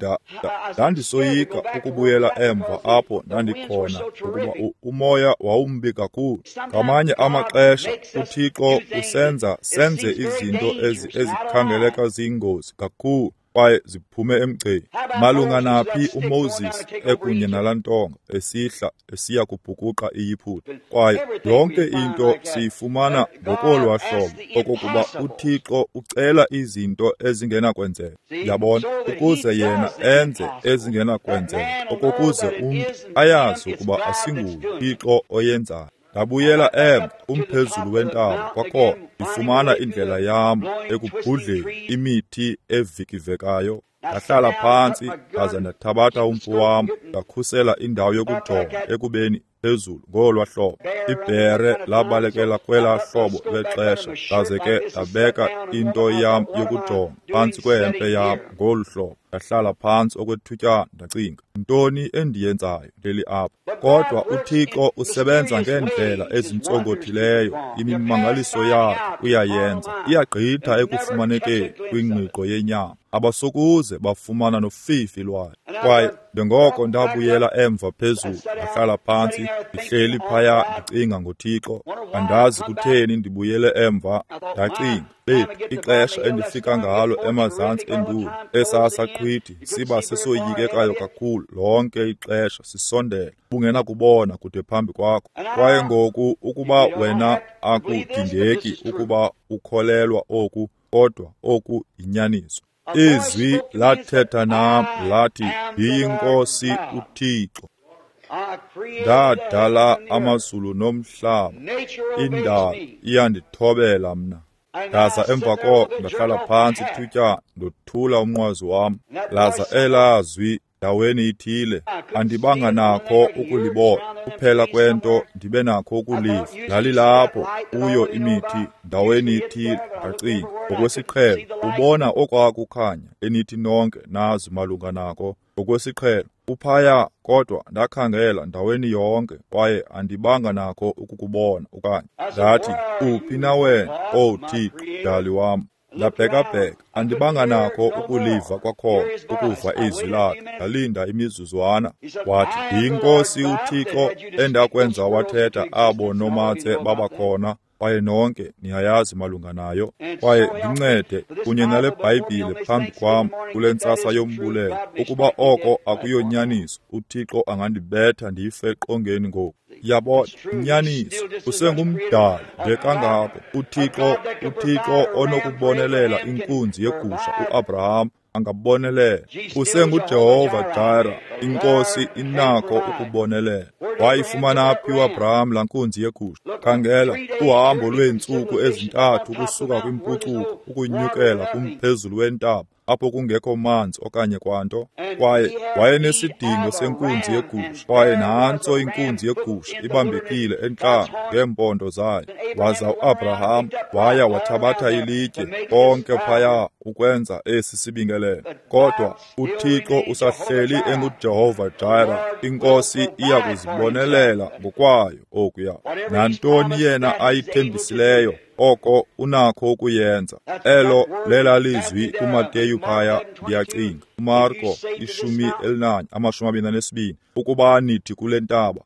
ndandisoyika ukubuyela emva apho ndandikhona, ngokuba umoya wawumbi kakhulu. Ngamanye amaxesha uThixo usenza senze izinto ezikhangeleka ziyingozi kakhulu, kwaye ziphume emgceni. Malunga naphi uMoses ekunye nalantonga esihla esiya kubhukuqa iYiputa. Kwaye yonke into siyifumana ngokolwa hlobo okokuba uThixo ucela izinto ezingenakwenzeka, yabona, ukuze yena enze ezingenakwenzeka, okokuze umntu ayazi ukuba asinguye Thixo oyenzayo. Ndabuyela emva kumphezulu wentaba kwakhona, ndifumana indlela yam ekubhudleni imithi evikivekayo. Ndahlala phantsi ndaza ndathabatha umpu wam, ndakhusela indawo yokujonga ekubeni phezulu ngolwa hlobo. Ibhere labalekela kwelaa hlobo lwexesha, ndaze ke ndabeka into yam yokujonga phantsi kwehempe yam ngolu hlobo. Ndahlala phantsi okwethutyana, ndacinga, ntoni endiyenzayo ndeli apha? Kodwa uThixo usebenza ngeendlela ezintsonkothileyo, imimangaliso yakhe uyayenza. Iyagqitha ekufumanekeni kwingqiqo yenyama, abasokuze bafumana nofifi lwayo. Kwaye njengoko ndabuyela emva phezulu, ndahlala phantsi, ndihleli phaya ndicinga ngoThixo. Andazi kutheni ndibuyele emva, ndacinga, bethu, ixesha endifika ngalo emazantsi enduli, esasaqhwithi siba sesoyikekayo kakhulu lonke ixesha sisondela, bungenakubona kude phambi kwakho. Kwaye ngoku ukuba wena akudingeki ukuba ukholelwa oku, kodwa oku yinyaniso. Izwi lathetha nam lathi, ndiyinkosi uThixo. Ndadala amazulu nomhlaba, indalo iyandithobela mna. Ndaza emva koko ndahlala phantsi ithutyana, ndothula umnqwazi wam. Laza elazwi ndaweni ithile, andibanga nakho ukulibona, kuphela kwento ndibe nakho ukuliva lalilapho kuyo imithi ndaweni ithile. Ndacinga, ngokwesiqhelo ubona okwakukhanya enithi nonke nazi malunga nako, ngokwesiqhelo uphaya, kodwa ndakhangela ndaweni yonke kwaye andibanga nakho ukukubona okanye. Ndathi, uphi na wena, O Thixo, Mdali wam? Ndabhekabheka, andibanga nakho ukuliva kwakhona, ukuva izwi lakhe. Ndalinda imizuzwana. Wathi, ndiyinkosi uThixo endakwenza wathetha abo nomatse babakhona, kwaye nonke niyayazi malunga nayo. Kwaye ndincede kunye nale Bhayibhile phambi kwam kule ntsasa yombulelo, ukuba oko akuyonyaniso, uThixo angandibetha ndife eqongeni ngoku. Yabona, inyaniso, usengumdali nje kangako. uThixo onokubonelela inkunzi yegusha uAbraham angabonelela. UsenguJehova Jireh, inkosi inakho ukubonelela. Wayifumana phi uAbraham laa nkunzi yegusha? Khangela, uhambo lweentsuku ezintathu ukusuka kwimpucuko ukunyukela kumphezulu wentaba, apho kungekho manzi okanye kwanto. Kwaye wayenesidingo senkunzi yegusha, kwaye nantso inkunzi yegusha ibambekile entlango ngeempondo zayo. Waza uAbraham waya wathabatha ilitye konke phaya ukwenza esi sibingelelo. Kodwa uThixo usahleli enguJehova Jireh, inkosi iya kuzibonelela ngokwayo okuya. Nantoni yena ayithembisileyo, oko unakho ukuyenza. Elo lelalizwi kuMateyu phaya, ndiyacinga, uMarko 11:22, ukuba nithi kule ntaba,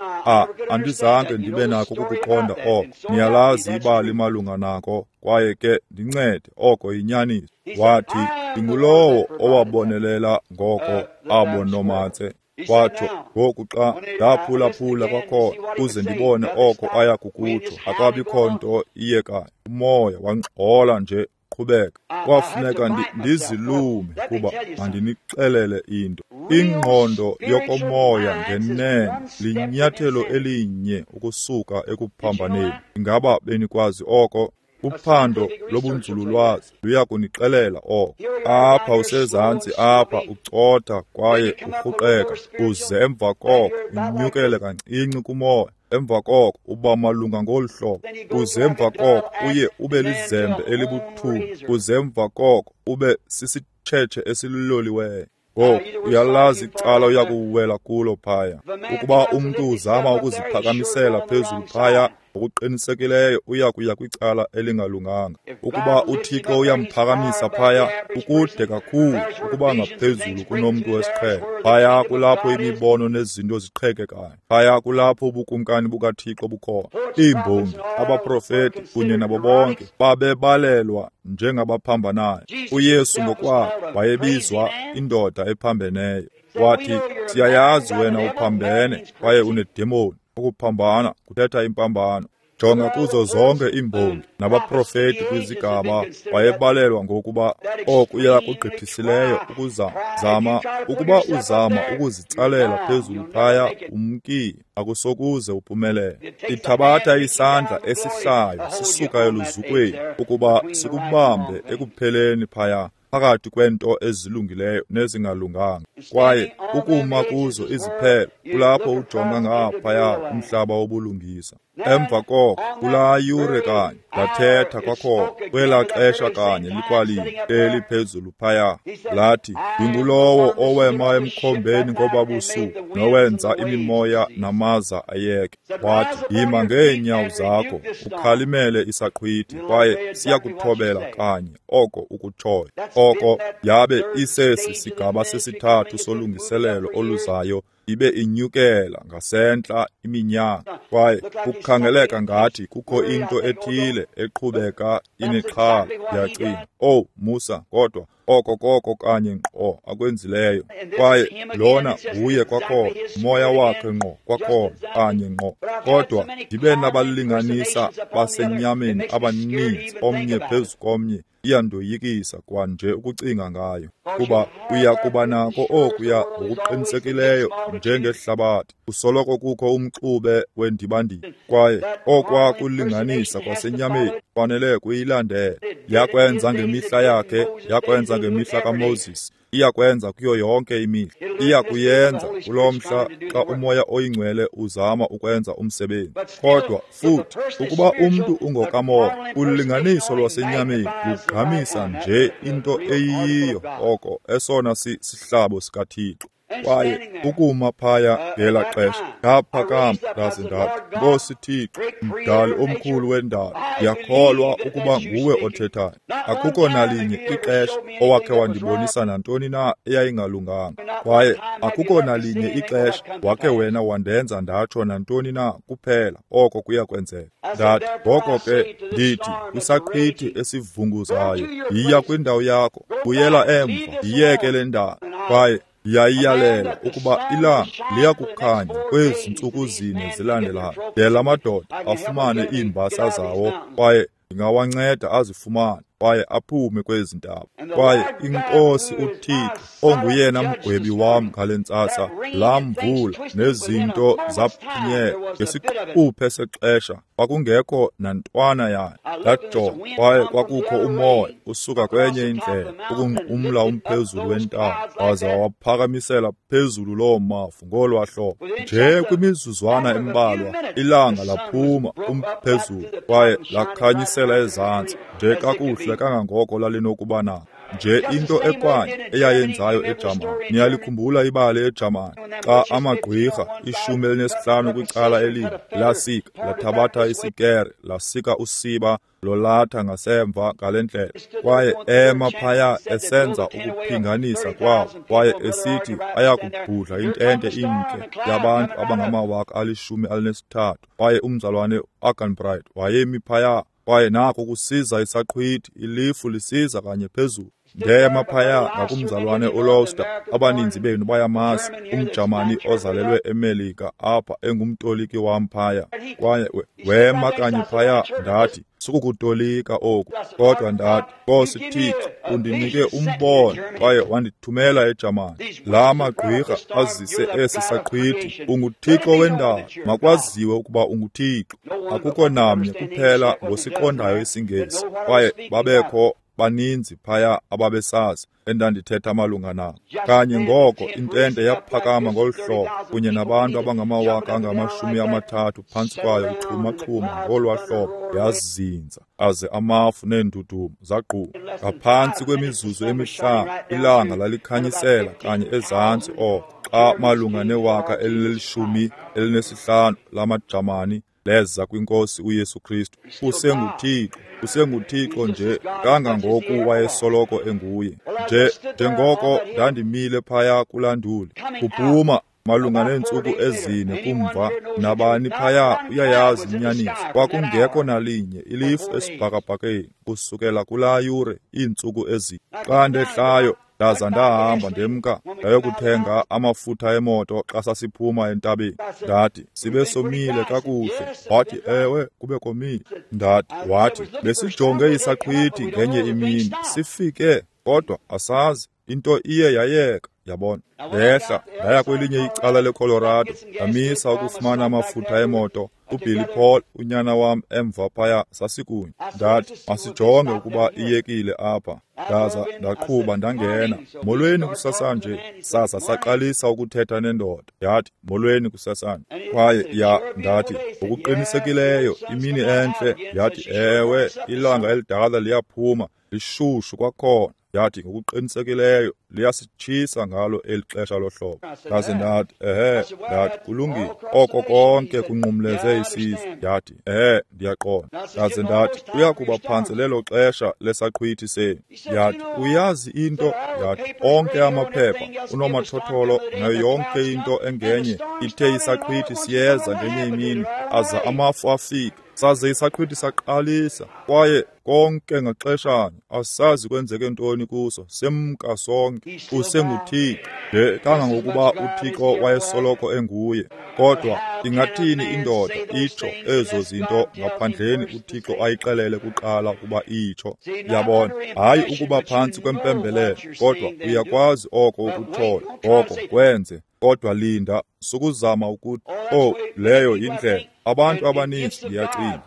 andizange ndibe nakho ukukuqonda oko. Niyalazi ibali malunga nako, kwaye ke ndincede, oko yinyaniso. Wathi, ndingulowo owabonelela ngoko abo nomatse. Watsho, ngoku xa ndaphulaphula kwakhona ukuze ndibone oko aya kukutsho, akabikho nto iyekayo. Umoya wangxola nje, qhubeka. Kwafuneka ndizilume kuba mandinixelele into. Ingqondo yokomoya ngenene linyathelo elinye ukusuka ekuphambaneni. Ingaba benikwazi oko? Uphando lobunzululwazi luya kunixelela oko. Apha usezantsi apha ucotha kwaye urhuqeka, uze emva koko unyukele kancinci kumoya. Emva koko uba malunga ngolu hlobo, uze emva koko uye ube lizembe elibuthungu, uze emva koko ube sisitshetshe esiloliweyo. Ngoku uyalazi icala uya kuwela kulo phaya. Ukuba umntu uzama ukuziphakamisela phezulu phaya, ngokuqinisekileyo uya kuya kwicala elingalunganga. Ukuba uThixo uyamphakamisa phaya, ukude kakhulu ukuba ngaphezulu kunomntu wesiqhelo. Phaya kulapho imibono nezinto ziqhekekayo. Phaya kulapho ubukumkani bukaThixo bukhona. Iimbongi, abaprofeti kunye nabo bonke babebalelwa njengabaphambanayo. uYesu ngokwakhe wayebizwa indoda ephambeneyo. Wathi, siyayazi wena uphambene kwaye unedemoni. Ukuphambana kuthetha impambano. Jonga kuzo zonke iimbongi nabaprofeti kwizigaba, wayebalelwa ngokuba okuya kugqithisileyo ukuzama ukuba uzama ukuzitsalela phezulu phaya umkile, akusokuze uphumelele. Ithabatha isandla esihlayo sisuka eluzukweni ukuba sikubambe ekupheleni phaya phakathi kwento ezilungileyo nezingalunganga. Kwaye ukuma kuzo iziphelo kulapho ujonga ngaphaya umhlaba wobulungisa. Emva koko kulaa yure kanye ndathetha kwakhona kwelaa xesha kanye likwalinye eliphezulu phaya, lathi, ndingulowo owema emkhombeni ngoba busuku nowenza imimoya namaza ayeke. Wathi, yima ngeenyawo zakho ukhalimele isaqhwithi, kwaye siyakuthobela kanye oko ukutshoyo. Oko yabe isesi sigaba sesithathu solungiselelo oluzayo, ibe inyukela ngasentla iminyaka, kwaye kukhangeleka ngathi kukho into ethile eqhubeka inexhala. Ndiyacinga, owu Musa, kodwa oko koko kanye ngqo akwenzileyo. Kwaye lona nguye kwakhona, umoya wakhe ngqo kwakhona, kanye ngqo. Kodwa ndibe nabalinganisa basenyameni abaninzi, omnye phezu komnye, iyandoyikisa kwanje ukucinga ngayo, kuba uya kuba nako okuya ngokuqinisekileyo njengehlabathi kusoloko kukho umxube wendibandiba, kwaye okwa kulinganisa kwasenyameni kufanele kuyilandele. Yakwenza ngemihla yakhe, yakwenza ngemihla kaMoses, iyakwenza kuyo yonke imihla, iyakuyenza kulo mhla xa uMoya oyiNgcwele uzama ukwenza umsebenzi. Kodwa futhi ukuba umntu ungokamoya, ulinganiso lwasenyameni lugqamisa nje into eyiyiyo, oko esona sihlabo sikaThixo. Kwaye ukuma phaya ngela xesha ndaphakama ndaze ndathi, Nkosi Thixo, mdali omkhulu wendalo, ndiyakholwa ukuba nguwe othethayo. Akukho nalinye ixesha owakhe wandibonisa nantoni na eyayingalunganga, kwaye akukho nalinye ixesha wakhe wena wandenza ndatsho nantoni na kuphela oko kuya kwenzeka. Ndathi, ngoko ke ndithi kwisaqhwithi esivunguzayo, yiya kwindawo yakho, buyela emva, yiyeke le ndalo. Kwaye yayiyalela ukuba ilanga liyakukhanya kwezi ntsuku zine zilandelayo, de la madoda afumane iimbasa zawo, kwaye ndingawanceda azifumane kwaye aphume kwezi ntaba. Kwaye iNkosi uThixo onguyena mgwebi wam ngale ntsasa, laa mvula nezinto zaphinyela ngesiquphe sexesha, kwakungekho nantwana yayo. Ndajonga, kwaye kwakukho umoya usuka kwenye indlela ukunqumla umphezulu wentaba, waza waphakamisela phezulu loo mafu ngolwa hlobo. Nje kwimizuzwana embalwa ilanga laphuma umphezulu kwaye lakhanyisela ezantsi nje kakuhle kangangoko lalinokuba nako. Nje into ekwanye eyayenzayo eJamani. Niyalikhumbula ibali eJamani xa amagqwirha 15 kwicala elinye lasika lathabatha isikere lasika usiba lolatha ngasemva ngale ndlela, kwaye ema phaya esenza ukuphinganisa kwawo, kwaye esithi ayakubhudla intente imke yabantu abangama 13,000. Kwaye umzalwane Arganbright wayemi phaya, kwaye nako kusiza isaqhwithi, ilifu lisiza kanye phezulu. Ndema phaya ngakumzalwane uLoster, abaninzi benu bayamazi, umJamani ozalelwe eMelika apha engumtoliki wam phaya. Kwaye wema kanye phaya, ndathi, sukukutolika oku, kodwa ndathi, Nkosi Thixo, undinike umbono kwaye wandithumela eJamani. La magqwirha azise esi saqhwithi, unguThixo wendalo, makwaziwe ukuba unguThixo. Akukho namnye kuphela ngosiqondayo isiNgesi, kwaye babekho baninzi phaya ababesazi endandithetha malunga nabo. Kanye ngoko intente yaphakama ngolu hlobo, kunye nabantu abangama 30,000 phantsi kwayo ixhumaxhuma ngolwa hlobo, yazinza, aze amafu neendudumo zagquma. Ngaphantsi kwemizuzu emihlanu ilanga lalikhanyisela kanye ezantsi oko, xa malunga ne-15,000 lamaJamani leza kwiNkosi uYesu Kristu. UsenguThixo, usenguThixo nje kangangoku wayesoloko enguye. Nje njengoko ndandimile phaya kulaa nduli, kuphuma malunga neentsuku ezine kumva, nabani phaya uyayazi inyaniso, kwakungekho nalinye ilifu esibhakabhakeni kusukela kulaa yure iintsuku ezine. Xa ndehlayo Ndaza ndahamba ndemka ndayokuthenga amafutha emoto xa sasiphuma entabeni. Ndathi, sibe somile kakuhle. Wathi, ewe, kube komile. Ndathi, wathi, besijonge isaqhwithi ngenye imini, sifike, kodwa asazi, into iye yayeka. Yabona, ndehla ndaya kwelinye icala leColorado, ndamisa ukufumana amafutha emoto. uBilly Paul, unyana wam, emva phaya sasikunye. Ndathi, masijonge ukuba iyekile apha. Ndaza ndaqhuba ndangena. Molweni kusasanje. Sasa saqalisa ukuthetha nendoda. Yathi, molweni kusasanje. Kwaye ya, ndathi, ngokuqinisekileyo imini entle. Yathi, ewe, ilanga elidala liyaphuma, lishushu kwakhona. Yathi, ngokuqinisekileyo liyasitshisa ngalo eli xesha lohlobo. Ndaze ndathi, ehe, ndathi, kulungile, oko konke kunqumleze isizwe. Yathi, ehe, ndiyaqonda. Ndaze ndathi, kuya kuba phantsi lelo xesha lesaqhwithi senu. Yathi, uyazi into? Yathi, onke amaphepha, unomathotholo nayo yonke into engenye ithe isaqhwithi siyeza ngenye imini, aza amafu afika. Saze isaqhwithi saqalisa, kwaye konke ngaxeshanye asazi kwenzeke ntoni kuso, semka sonke. UsenguThixo nje kangangokuba uThixo wayesoloko enguye. Kodwa ingathini indoda itsho ezo zinto ngaphandleni uThixo ayixelele kuqala ukuba itsho? Yabona, hayi ukuba phantsi kwempembelelo, kodwa uyakwazi oko ukutshoyo, oko kwenze. Kodwa linda, sukuzama ukuthi, oh, leyo yindlela. Abantu abaninzi ndiyacinga,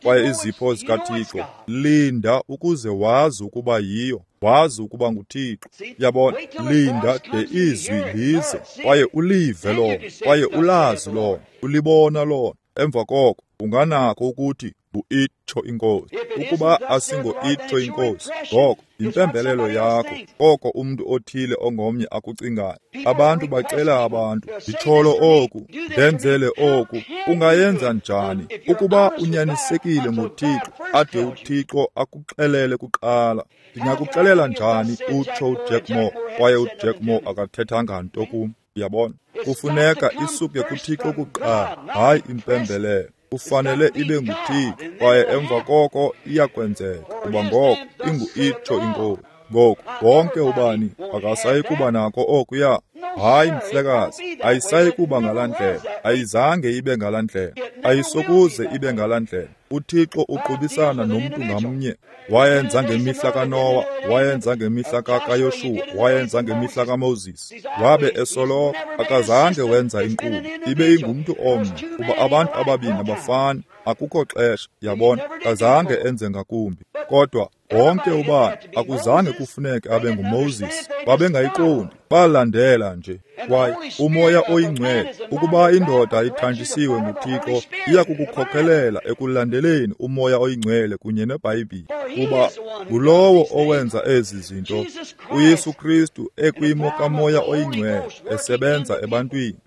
kwaye izipho zikaThixo, linda ukuze wazi ukuba yiyo, wazi ukuba nguThixo. Yabona, linda de izwi lize, kwaye ulive lona, kwaye ulazi lona, ulibona lona. Emva koko unganako ukuthi ngu-itsho inkosi. Ukuba asingo-itsho inkosi, ngoko yimpembelelo yakho, koko umntu othile ongomnye akucingayo. Abantu bacela abantu, nditsholo oku, ndenzele oku. Ungayenza njani ukuba unyanisekile ngoThixo ade uThixo akuxelele kuqala? Ndingakuxelela njani, utsho uJack Moore, kwaye uJack Moore akathethanga nto kum. Yabona, kufuneka isuke kuThixo kuqala, hayi impembelelo. Kufanele ibe nguThixo, kwaye emva koko iyakwenzeka, kuba ngoko ingu-itsho inkosi. Ngoku wonke ubani akasayi kuba nako okuya. Hayi mhlekazi, ayisayi kuba ngalaa ndlela, ayizange ibe ngalaa ndlela, ayisokuze ibe ngalaa ndlela. uThixo uqubisana nomntu ngamnye. Wayenza ngemihla kaNowa, wayenza ngemihla kaYoshuwa, wayenza ngemihla kaMoses. Wabe esoloko, akazange wenza inkqubo, ibe ingumntu omnye, kuba abantu ababini abafani, akukho xesha, yabona, akazange enze ngakumbi. Kodwa wonke ubani akuzange kufuneke abe nguMoses, babengayiqondi, balandela nje. Kwaye uMoya oyiNgcwele, ukuba indoda ithanjisiwe nguThixo, iya kukukhokelela ekulandeleni uMoya oyiNgcwele kunye neBhayibhile, kuba ngulowo owenza ezi zinto, uYesu Kristu ekwimo kaMoya oyiNgcwele esebenza ebantwini.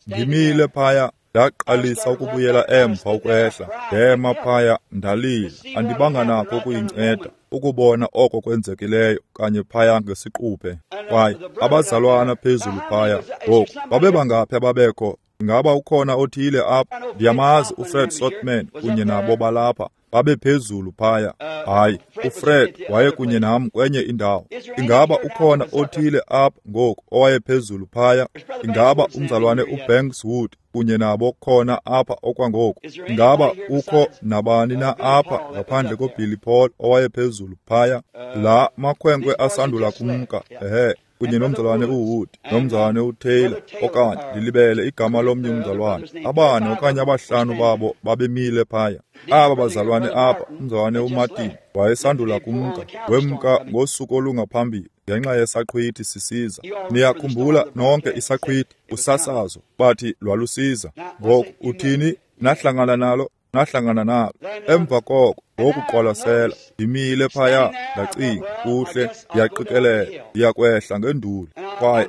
Ndimile phaya, ndaqalisa ukubuyela emva ukwehla, ndema phaya ndalila, andibanga nako ukuyinceda ukubona oko kwenzekileyo kanye phaya ngesiquphe. Kwaye abazalwana phezulu phaya ngoku babebangaphi ababekho? Ingaba ukhona othile apha? Ndiyamazi uFred Sotman kunye nabo balapha, babephezulu phaya. Hayi, uFred wayekunye nam kwenye indawo. Ingaba ukhona othile apha ngoku owayephezulu phaya? Ingaba umzalwane uBanks Wood kunye nabo khona apha okwangoku? Ingaba ukho nabani na apha ngaphandle koBilly Paul owayephezulu phaya? La makhwenkwe asandula kumka, ehe, kunye nomzalwane uWood, nomzalwane uTaylor, okanye ndilibele igama lomnye umzalwane. Abane okanye abahlanu babo babemile phaya. Aba bazalwane apha, umzalwane uMartin wayesandula kumka, wemka ngosuku olungaphambili ngenxa yesaqhwithi sisiza. Niyakhumbula nonke isaqhwithi, usasazo, bathi lwalusiza. Ngoku uthini? Nahlangana nalo, nahlangana nalo. Emva koko ngokuqwalasela, ndimile phaya, ndacinga, kuhle, ndiyaqikelela, ndiyakwehla ngenduli. Kwaye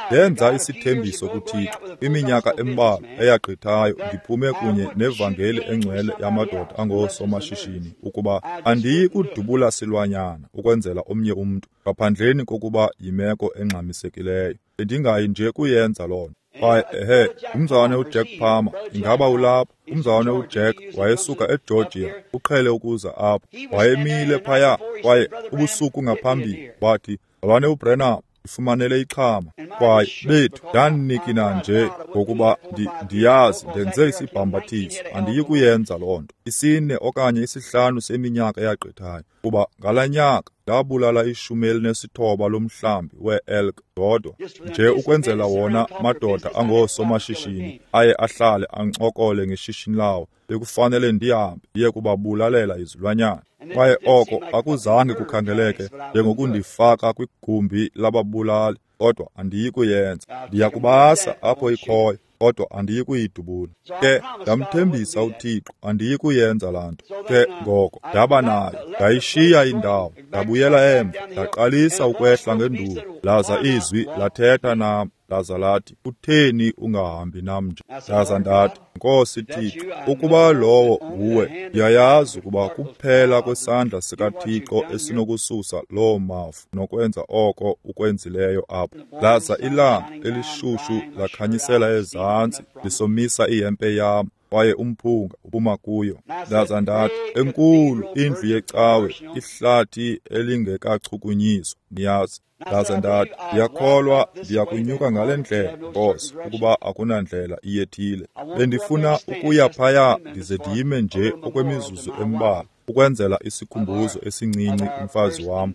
ndenza isithembiso kuThixo iminyaka embalwa eyagqithayo, ndiphume kunye nevangeli engcwele yamadoda angoosomashishini ukuba andiyi kudubula silwanyana ukwenzela omnye umntu, ngaphandleni kokuba yimeko engxamisekileyo. Bendingayi nje kuyenza loo nto. Kwaye ehe, umzalwane uJack Palmer, ingaba ulapha? Umzalwane uJack wayesuka eGeorgia, uqhele ukuza apha. Wayemile phaya, kwaye ubusuku ngaphambili wathi, mzalwane uBrenham, Ifumanele ixhama. Kwaye bethu ndandinikina nje ngokuba ndiyazi ndenze isibhambathiso, andiyi kuyenza loo nto. 4 okanye 5 seminyaka eyagqithayo, kuba ngalaa nyaka ndabulala 19 lomhlambi wee-elk ndodwa, nje ukwenzela wona madoda angoosomashishini aye ahlale ancokole ngeshishini lawo. Bekufanele ndihambe ndiye kubabulalela izilwanyana. Kwaye oko akuzange kukhangeleke njengokundifaka kwigumbi lababulali, kodwa andiyi kuyenza. Ndiya kubasa apho ikhoyo, kodwa andiyi kuyidubula. Ke ndamthembisa uThixo andiyi kuyenza laa nto. Ke ngoko ndaba nayo, ndayishiya indawo, ndabuyela emva, ndaqalisa ukwehla ngenduli. Laza izwi lathetha nam, laza lathi, kutheni ungahambi nam nje? Ndaza ndathi, Nkosi Thixo, ukuba lowo nguwe, ndiyayazi ukuba kuphela kwesandla sikaThixo esinokususa loo mafu nokwenza oko ukwenzileyo apho. Laza ilanga elishushu lakhanyisela ezantsi, lisomisa ihempe yam, kwaye umphunga uphuma kuyo. Ndaza ndathi, enkulu indlu yecawe, ihlathi elingekachukunyiswa, niyazi. Ndaza ndathi, ndiyakholwa ndiyakunyuka ngale ndlela, Nkosi, ukuba akunandlela iyethile. Bendifuna ukuya phaya ndize ndime nje okwemizuzu embalwa, ukwenzela isikhumbuzo esincinci umfazi wam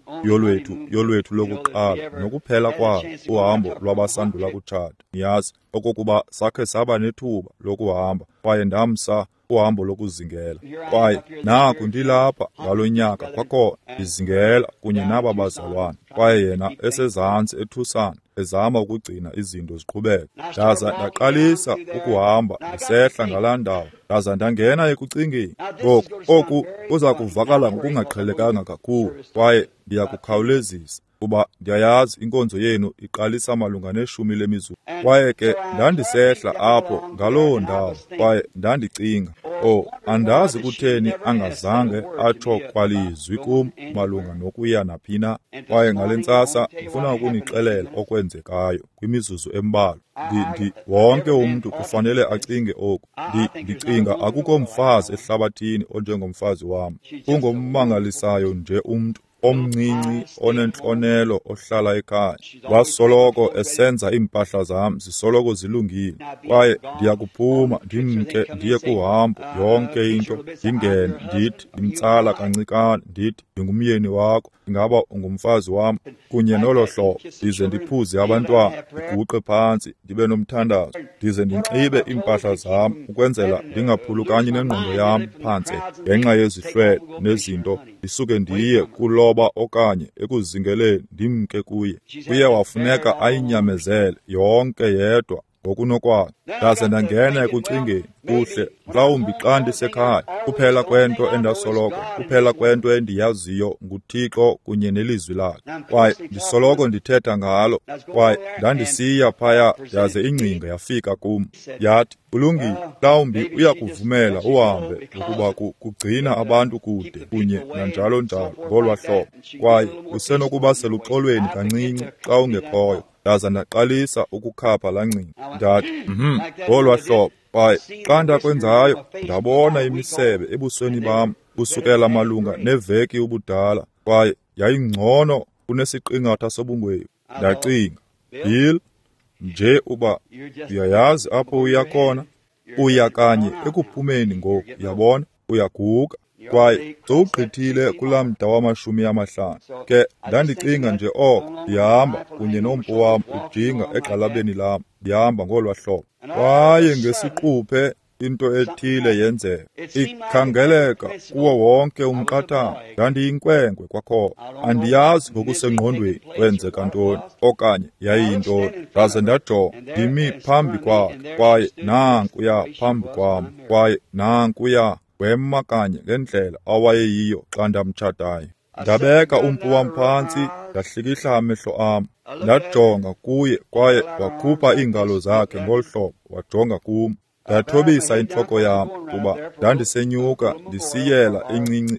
yolwethu lokuqala nokuphela kwalo uhambo lwabasandula kutshata, niyazi, okokuba sakhe saba nethuba lokuhamba, kwaye ndamsa uhambo lokuzingela. Kwaye naku ndilapha ngalo nyaka kwakhona ndizingela kunye naba bazalwana, kwaye yena esezantsi eTucson ezama ukugcina izinto ziqhubeka. Ndaza ndaqalisa ukuhamba ndisehla ngalaa ndawo, ndaza ndangena ekucingeni. Ngoku oku kuza kuvakala ngokungaqhelekanga kakhulu, kwaye ndiyakukhawulezisa, kuba ndiyayazi inkonzo yenu iqalisa malunga ne-10 lemizuzu. Kwaye ke ndandisehla apho ngaloo ndawo, kwaye ndandicinga, oh, andazi kutheni angazange atsho kwalizwi kum malunga nokuya naphina. Kwaye ngale ntsasa ndifuna ukunixelela okwenzekayo kwimizuzu embalwa. Wonke umntu kufanele acinge oku. Ndicinga akukho mfazi ehlabathini onjengomfazi wam. Ungommangalisayo nje umntu omncinci onentlonelo ohlala ekhaya. Wasoloko esenza iimpahla zam zisoloko zilungile, kwaye ndiyakuphuma ndimke ndiye kuhambo yonke into, ndingene ndithi ndimtsala kancikane, ndithi ndingumyeni wakho, ingaba ungumfazi wam, kunye nolo hlobo, ndize ndiphuze abantwana, ndiguqe phantsi, ndibe nomthandazo, ndize ndinxibe iimpahla zam ukwenzela ndingaphulukani nengqondo yam phantse ngenxa yezihlwele nezinto, ndisuke ndiye kuloba okanye ekuzingeleni ndimke kuye. Kuye wafuneka ayinyamezele yonke yedwa ngokunokwakhe. Ndaze ndangena ekucingeni, kuhle, mhlawumbi xa ndisekhaya, kuphela kwento endasoloko, kuphela kwento endiyaziyo nguThixo kunye nelizwi lakhe, kwaye ndisoloko ndithetha ngalo. Kwaye ndandisiya phaya, yaze ingcinga yafika kum, yathi, kulungile, mhlawumbi uyakuvumela uhambe ngokuba kugcina abantu kude kunye nanjalo njalo ngolwa hlobo, kwaye usenokuba seluxolweni kancinci xa ungekhoyo. Ndaza ndaqalisa ukukhapha laa ngcinga, ndathi, ngolwa hlobo. Kwaye xa ndakwenzayo, ndabona imisebe ebusweni bam kusukela malunga neveki ubudala, kwaye yayingcono kunesiqingatha sobungwevu. Ndacinga, Bill, nje uba uyayazi apho uya khona, uya kanye ekuphumeni ngoku, yabona, uyaguga. Kwaye sowugqithile kulaa mda wama-50. Ke ndandicinga nje oko, ndihamba kunye nompu wam ujinga egxalabeni lam, ndihamba ngolwa hlobo. Kwaye ngesiquphe into ethile yenzeka, ikhangeleka kuwo wonke umqathango. Ndandiyinkwenkwe kwakhona, andiyazi ngokusengqondweni kwenzeka ntoni okanye yayiyintoni. Ndaze ndajonga, ndimi phambi kwakhe, kwaye nankuya phambi kwam, kwaye nankuya wema kanye ngendlela awayeyiyo xa ndamtshatayo. Ndabeka umpu wam phantsi, ndahlikihla amehlo am, ndajonga kuye, kwaye wakhupha iingalo zakhe ngolu hlobo, wajonga kum. Ndathobisa intloko yam, kuba ndandisenyuka ndisiyela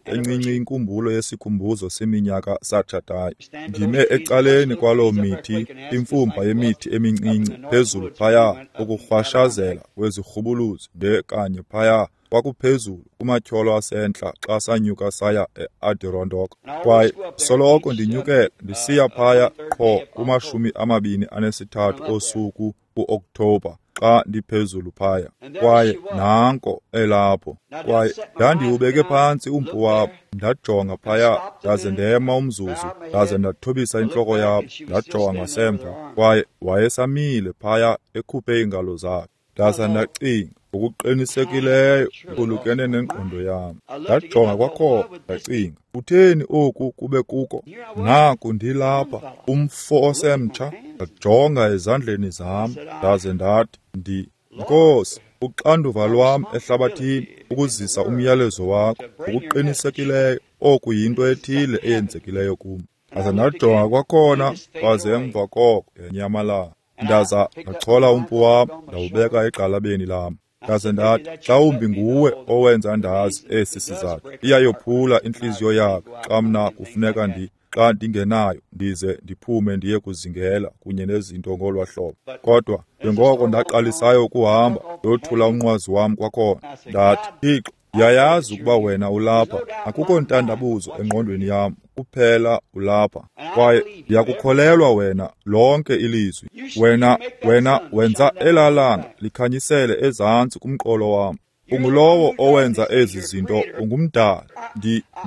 encinci inkumbulo yesikhumbuzo seminyaka satshatayo. Ndime ecaleni kwaloo mithi, imfumba yemithi emincinci phezulu phaya, ukurhwashazela kwezirhubuluzi nje kanye phaya. Kwakuphezulu kumatyholo asentla xa sanyuka saya e-Adirondack. Kwaye soloko ndinyukela ndisiya phaya qho kuma-23 osuku ku-Okthobha xa ndiphezulu phaya. Kwaye nanko elapho. Kwaye ndandiwubeke phantsi umpu wam, ndajonga phaya, ndaze ndema umzuzu, ndaze ndathobisa intloko yam, ndajonga ngasemva, kwaye wayesamile phaya ekhuphe iingalo zakhe. Ndaza ndacinga, ngokuqinisekileyo iphulukene nengqondo yam. Ndajonga kwakhona, ndacinga, kutheni oku kube kuko? Naku ndilapha, umfo osemtsha. Ndajonga ezandleni zam, ndaze ndathi, Nkosi, uxanduva lwam ehlabathini ukuzisa umyalezo wakho. Ngokuqinisekileyo oku yinto ethile eyenzekileyo kum. Ndaza ndajonga kwakhona, kwaze emva koko yanyamalala. Ndaza ndachola umpu wam, ndawubeka egxalabeni lam. Ndaze ndathi, mhlawumbi nguwe owenza ndazi esi sizathu. Iyayophula intliziyo yakhe xa mna kufuneka xa ndingenayo ndize ndiphume ndiye kuzingela kunye nezinto ngolwa hlobo. Kodwa njengoko ndaqalisayo ukuhamba, ndothula umnqwazi wam kwakhona. Ndathi, Thixo, ndiyayazi ukuba wena ulapha. Akukho ntandabuzo engqondweni yam, kuphela ulapha. Kwaye ndiyakukholelwa wena lonke ilizwi. Wena wenza elaa langa likhanyisele ezantsi kumqolo wam. Ungulowo owenza ezi zinto, ungumdali.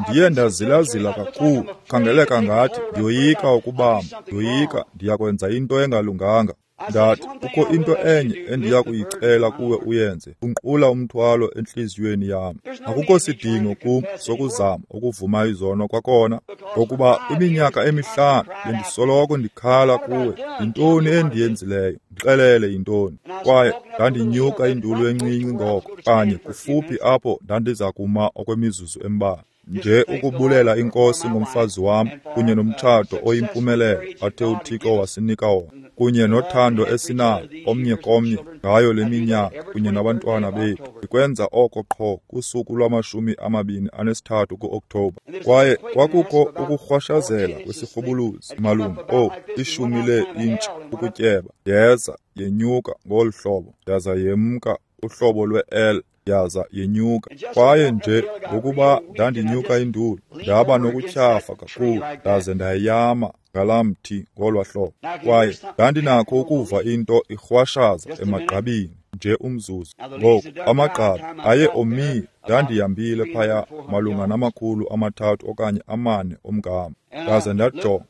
Ndiye ndazilazila kakhulu, khangeleka ngathi ndiyoyika ukubamba, ndiyoyika ndiyakwenza into engalunganga. Ndathi, kukho into enye endiya kuyicela kuwe uyenze, unqula umthwalo entliziyweni yam. Akukho sidingo kum sokuzama ukuvuma izono kwakhona, ngokuba iminyaka emihlanu bendisoloko ndikhala kuwe. Yintoni endiyenzileyo? Ndixelele yintoni. Kwaye ndandinyuka indulu encinci ngoko, kanye kufuphi apho ndandiza kuma okwemizuzu embalwa. Nje ukubulela iNkosi ngomfazi wam kunye nomtshato oyimpumelelo athe uThixo wasinika wona, kunye nothando esinalo omnye komnye ngayo le minyaka kunye nabantwana bethu. Ndikwenza oko qho kusuku lwama-23 ku-Okthobha. Kwaye kwakukho ukurhwashazela kwesirhubuluzi malunga 10 lee-intshi ukutyeba. Yeza yenyuka ngolu hlobo, yaza yemka uhlobo lwe-L, yaza yenyuka. Kwaye nje ngokuba ndandinyuka indulu, ndaba nokutyhafa kakhulu, ndaze ndayama ngalaa mthi ngolwa hlobo. Kwaye ndandinakho ukuva into irhwashaza emagqabini nje umzuzu. Ngoku amagqabi aye omile. Ndandihambile phaya malunga 300 okanye 400 omgama. Ndaze ndajonga,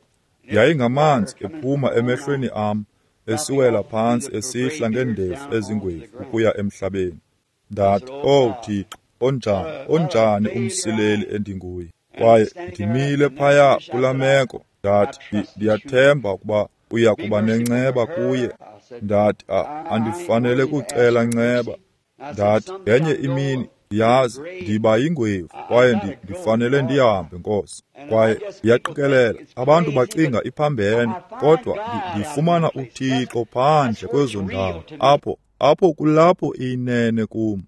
yayingamanzi ephuma emehlweni am, esiwela phantsi esihla ngeendevu ezingwevu ukuya emhlabeni. Ndathi, "Oh Thixo, onjani umsileli endinguye." Kwaye ndimile phaya kulaa meko. Ndathi, ndiyathemba ukuba uya kuba nenceba kuye. Ndathi, andifanele kucela nceba. Ndathi, ngenye imini, ndiyazi, ndiba yingwevu, kwaye ndifanele ndihambe, Nkosi. Kwaye ndiyaqikelela, abantu bacinga iphambene, kodwa ndifumana uThixo phandle kwezo ndawo, apho kulapho iyinene kum.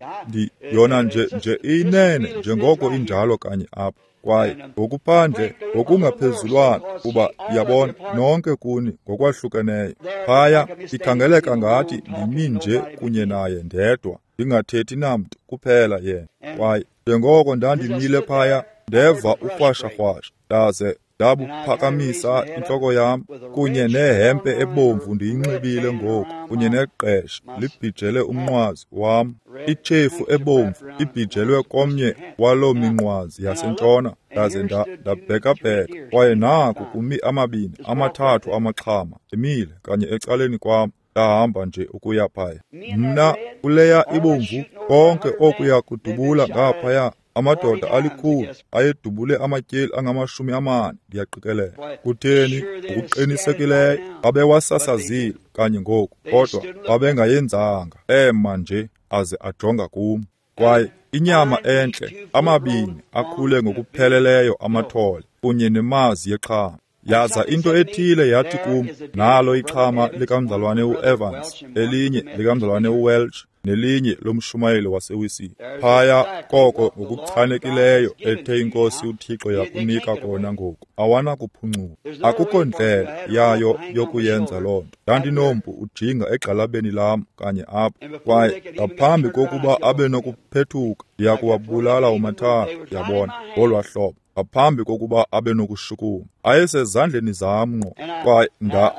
Yona nje iyinene njengoko injalo kanye apha. Kwaye ngokuphandle, ngokungaphezulwana, kuba ndiyabona nonke kuni ngokwahlukeneyo. Phaya ikhangeleka ngathi ndimi nje kunye naye ndedwa, ndingathethi namntu kuphela yena. Kwaye njengoko ndandimile phaya, ndeva urhwasharhwasha, ndaze ndabuphakamisa intloko yam, kunye nehempe ebomvu ndiyinxibile ngoku, kunye neqesha libhijele umnqwazi wam, itshefu ebomvu ibhijelwe komnye waloo minqwazi yasentshona. Ndaze ndabhekabheka, kwaye naku kumi 2, 3 amaxhama emile kanye ecaleni kwam. Ndahamba nje ukuya phaya. Mna kuleya ibomvu, konke okuya kudubula ngaphaya. Amadoda alikhulu ayedubule amatyeli angama-40, ndiyaqikelela. Kutheni? Ngokuqinisekileyo babewasasazile kanye ngoku, kodwa babengayenzanga. Ema nje aze ajonga kum. Kwaye inyama entle, 2 akhule ngokupheleleyo amathole, kunye nemazi yexhama. Yaza into ethile yathi kum, nalo ixhama likamzalwane uEvans, elinye likamzalwane uWelch, nelinye lomshumayeli waseWisile. Phaya koko ngokuchanekileyo ethe iNkosi uThixo yakunika kona ngoku, awanakuphuncuka. Akukho ndlela yayo yokuyenza loo nto. Ndandinompu ujinga egxalabeni lam kanye apha, kwaye ngaphambi kokuba abe nokuphethuka ndiyakuwabulala omathathu, yabona, ngolwa hlobo, ngaphambi kokuba abe nokushukuma. Ayesezandleni zam ngqo,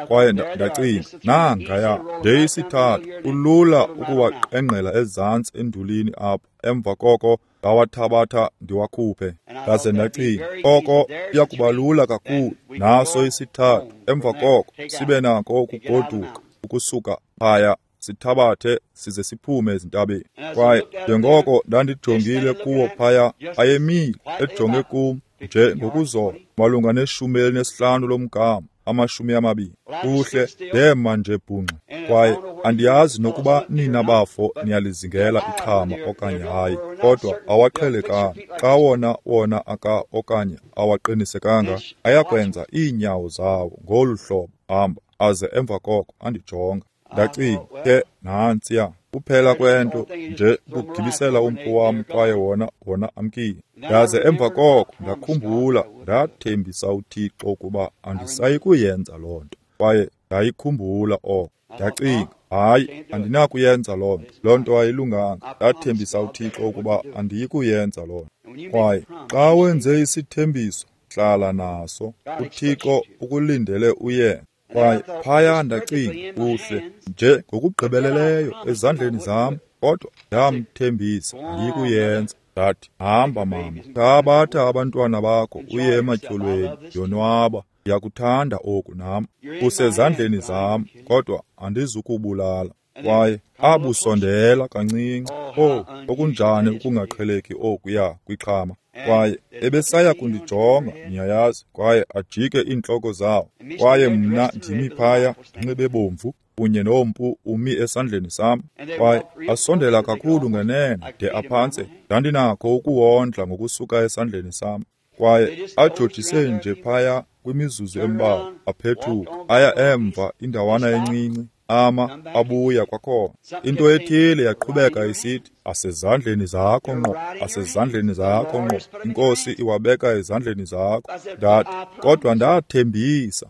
kwaye ndacinga, nangaya ndeyisithathu, kulula ukuwaqengqela ezantsi endulini apha. Emva koko ndawathabatha ndiwakhuphe. Ndaze ndacinga, oko kuya kuba lula kakhulu, naso isithathu. Emva koko sibe nako ukugoduka ukusuka phaya, sithabathe size siphume ezintabeni. Kwaye njengoko ndandijongile kuwo phaya, ayemile ejonge kum nje ngokuzola, malunga ne-15 lomgama, 20. Kuhle, ndema nje bhungxe. Kwaye andiyazi nokuba nina bafo niyalizingela ixhama okanye hayi, kodwa awaqhelekanga. Xa wona aka okanye awaqinisekanga, ayakwenza iinyawo zawo ngolu hlobo, hamba, aze emva koko andijonga. Ndacinga, ke nantsiya, kuphela kwento nje ukugibisela umpu wam, kwaye wona amkile. Ndaze emva koko ndakhumbula, ndathembisa uThixo ukuba andisayi kuyenza loo nto, kwaye ndayikhumbula oko. Ndacinga, hayi, andinakuyenza loo nto, loo nto ayilunganga. Ndathembisa uThixo ukuba andiyi kuyenza loo nto. Kwaye xa wenze isithembiso, hlala naso. uThixo ukulindele uyenze. Kwaye phaya ndacinga, kuhle nje ngokugqibeleleyo ezandleni zam, kodwa ndamthembisa andiyikuyenza. Ndathi, hamba mama, thabatha abantwana bakho uye ematyholweni, yonwaba, ndiyakuthanda oku nam, usezandleni zam, kodwa andizukubulala. Kwaye abusondela kancinci. Oh, okunjani ukungaqheleki okuya kwixhama. Kwaye ebesaya kundijonga, niyayazi, kwaye ajike iintloko zawo. Kwaye mna ndimi phaya, ndinxibe bomvu, kunye nompu umi esandleni sam. Kwaye asondela kakhulu ngenene de aphantse ndandinakho ukuwondla ngokusuka esandleni sam. Kwaye ajojise nje phaya kwimizuzu embalwa, aphethuka aya emva indawana encinci, ama abuya kwakhona. Into ethile yaqhubeka isithi, asezandleni zakho ngqo, asezandleni zakho ngqo, iNkosi iwabeka ezandleni zakho. Ndathi, kodwa ndathembisa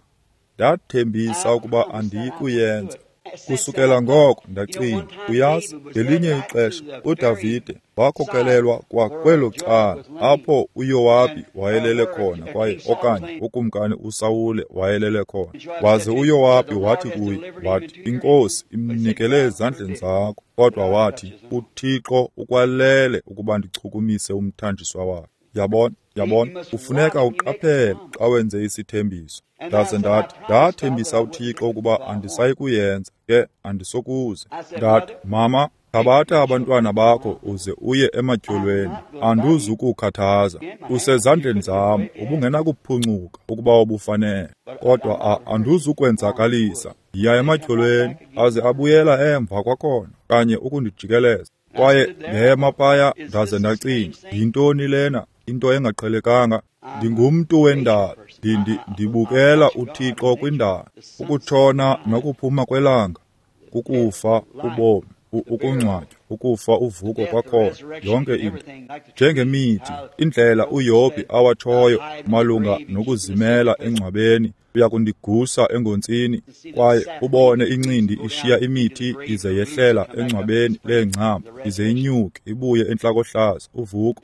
ukuba andiyi kuyenza. Kusukela ngoko ndacinga, uyazi, ngelinye ixesha uDavide wakhokelelwa kwakwelo cala apho uYowabi wayelele khona, kwaye okanye ukumkani uSawule wayelele khona. Waze uYowabi wathi kuye, wathi, iNkosi imnikele ezandleni zakho, kodwa wathi, uThixo ukwalele ukuba ndichukumise umthanjiswa wakhe. Yabona, kufuneka uqaphele xa wenze isithembiso. Ndaze ndathi, ndathembisa uThixo ukuba andisayi kuyenza, ke andisokuze. Ndathi, mama, thabatha abantwana bakho uze uye ematyholweni, anduzukukhathaza, usezandleni zam, ubungenakuphuncuka ukuba ubufanele, kodwa anduzukwenzakalisa. Yiya ematyholweni. Aze abuyela emva kwakhona, kanye ukundijikeleza. Kwaye ndema phaya, ndaze ndacinga, yintoni lena, into engaqhelekanga? Ndingumntu wendalo, ndibukela uThixo kwindalo, ukutshona nokuphuma kwelanga, kukufa ubomi, ukungcwatywa, ukufa uvuko kwakhona, yonke into. Njengemithi, indlela uYobhi awatshoyo malunga nokuzimela engcwabeni, uyakundigusa engontsini, kwaye ubone incindi ishiya imithi ize yehlela engcwabeni leengcambu, ize inyuke ibuye entlakohlaza, uvuko.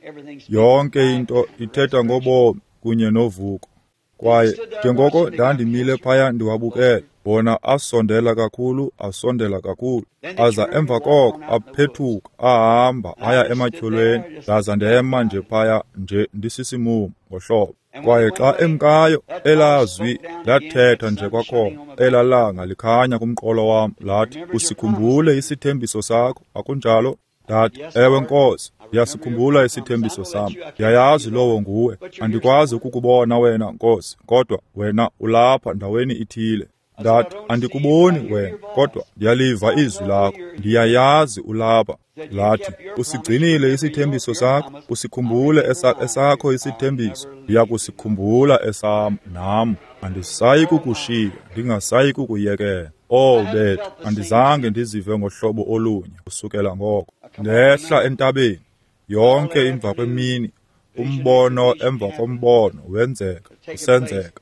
Yonke into ithetha ngobomi kunye novuko. Kwaye njengoko ndandimile phaya ndiwabukele, bona asondela kakhulu, asondela kakhulu, aza emva koko aphethuka, ahamba aya ematyholweni. Ndaza ndema nje phaya nje ndisisimumu ngohlobo. Kwaye xa emkayo, elazwi lathetha nje kwakhona, elalanga likhanya kumqolo wam, lathi, usikhumbule isithembiso sakho, akunjalo? Ndathi, ewe Nkosi, ndiyasikhumbula isithembiso sam, ndiyayazi lowo nguwe. Andikwazi ukukubona wena Nkosi, kodwa wena ulapha ndaweni ithile. Ndathi, andikuboni wena, kodwa ndiyaliva izwi lakho, ndiyayazi ulapha. Lathi, usigcinile isithembiso sakho, usikhumbule esakho isithembiso, ndiyakusikhumbula esam nam, Andisayi kukushiya, ndingasayi kukuyekela. Oh bethu, andizange ndizive ngohlobo olunye kusukela ngoko. Ndehla entabeni, yonke imva kwemini, umbono emva kombono wenzeka, usenzeka.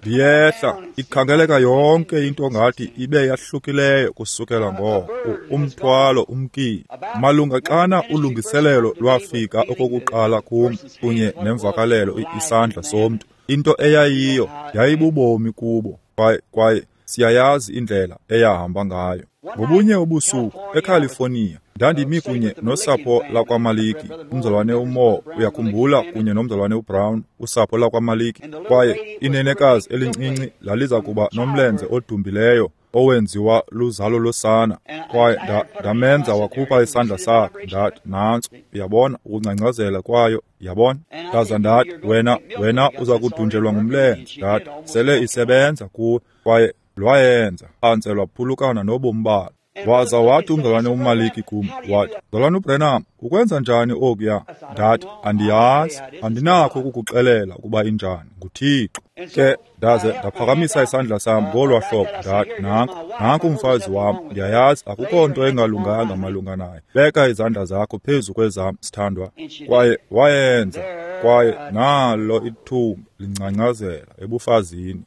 Ndiyehla, ikhangeleka yonke into ngathi ibe yahlukileyo kusukela ngoko. Umthwalo umkile. Malunga xana ulungiselelo lwafika okokuqala kum kunye nemvakalelo isandla somntu, into eyayiyo yayibubomi kubo, kwaye siyayazi indlela eyahamba ngayo. Ngobunye ubusuku eCalifornia, ndandimi kunye nosapho lakwaMaliki, umzalwane uMoore uyakhumbula, kunye nomzalwane uBrown, usapho lakwaMaliki, kwaye inenekazi elincinci laliza kuba nomlenze odumbileyo owenziwa luzalo losana, kwaye ndamenza wakhupha isandla sakhe. Ndathi, nantso, uyabona ukungcangcazela kwayo, yabona. Ndaza ndathi, wena uza kudunjelwa ngumlenze. Ndathi, sele isebenza kuwe, kwaye lwayenza phantse lwaphulukana nobomi balo. Waza wathi umzalwane uMaliki kum, wathi, Mzalwane uBranham, ukwenza njani okuya? Ndathi, andiyazi, andinakho ukukuxelela ukuba injani, nguThixo. Ke ndaze ndaphakamisa isandla sam ngolwa hlobo, ndathi, nanku umfazi wam, ndiyayazi akukho nto engalunganga malunga naye. Beka izandla zakho phezu kwezam, sithandwa. Kwaye wayenza, kwaye nalo ithumba lingcangcazela ebufazini.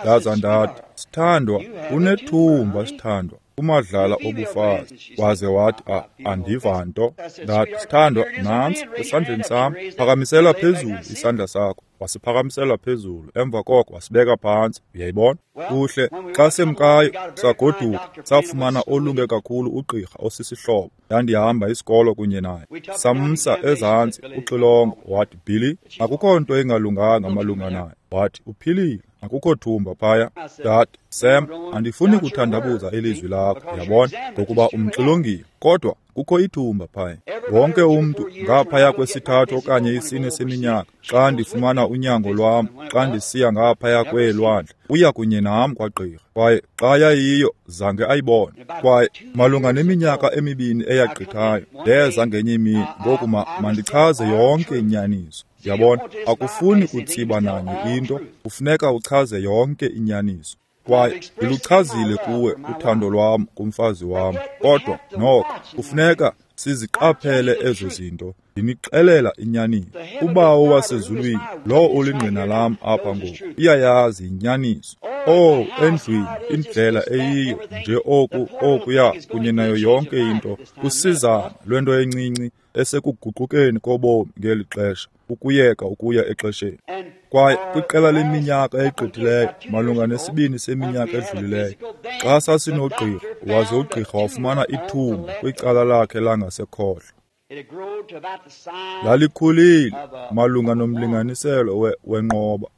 Ndaza ndathi, sithandwa, unethumba, sithandwa, kumadlala obufazi. Waze wathi, andiva nto. Ndathi, sithandwa, nantsi esandleni sam, phakamisela phezulu isandla sakho. Wasiphakamisela phezulu, emva koko wasibeka phantsi. Uyayibona? Kuhle, xa semkayo sagoduka, safumana olunge kakhulu ugqirha osisihlobo. Ndandihamba isikolo kunye naye. Samsa ezantsi uxilongo, wathi, Billy, akukho nto engalunganga malunga naye. Wathi, uphilile, akukho thumba phaya. Ndathi, Sam, andifuni kuthandabuza ilizwi lakho, yabona, ngokuba umxilongile, kodwa kukho ithumba phaya. Wonke umntu ngaphaya kwesithathu okanye isine seminyaka, xa ndifumana unyango lwam, xa ndisiya ngaphaya kweelwandle, uya kunye nam kwagqirha. Kwaye xa yayiyo, zange ayibone. Kwaye malunga neminyaka emibini eyagqithayo, ndeza ngenye imini. Ngoku mandichaze yonke inyaniso. Yabona, akufuni kutsiba nanye into, kufuneka uchaze yonke inyaniso. Kwaye ndiluchazile kuwe uthando lwam kumfazi wam, kodwa noko kufuneka siziqaphele ezo zinto. Ndinixelela inyaniso. Ubawo wasezulwini, lowo ulingqina lam apha ngoku, uyayazi inyaniso. Oh, endlwini, indlela eyiyo nje oku okuya kunye nayo yonke into, kusizana lwento encinci esekuguqukeni kobomi ngeli xesha, ukuyeka ukuya exesheni. Kwaye kwiqela leminyaka egqithileyo, malunga nesibini seminyaka edlulileyo, xa sasinogqirha, waze ugqirha wafumana ithumba kwicala lakhe langasekhohlo. Lalikhulile malunga nomlinganiselo wenqoba.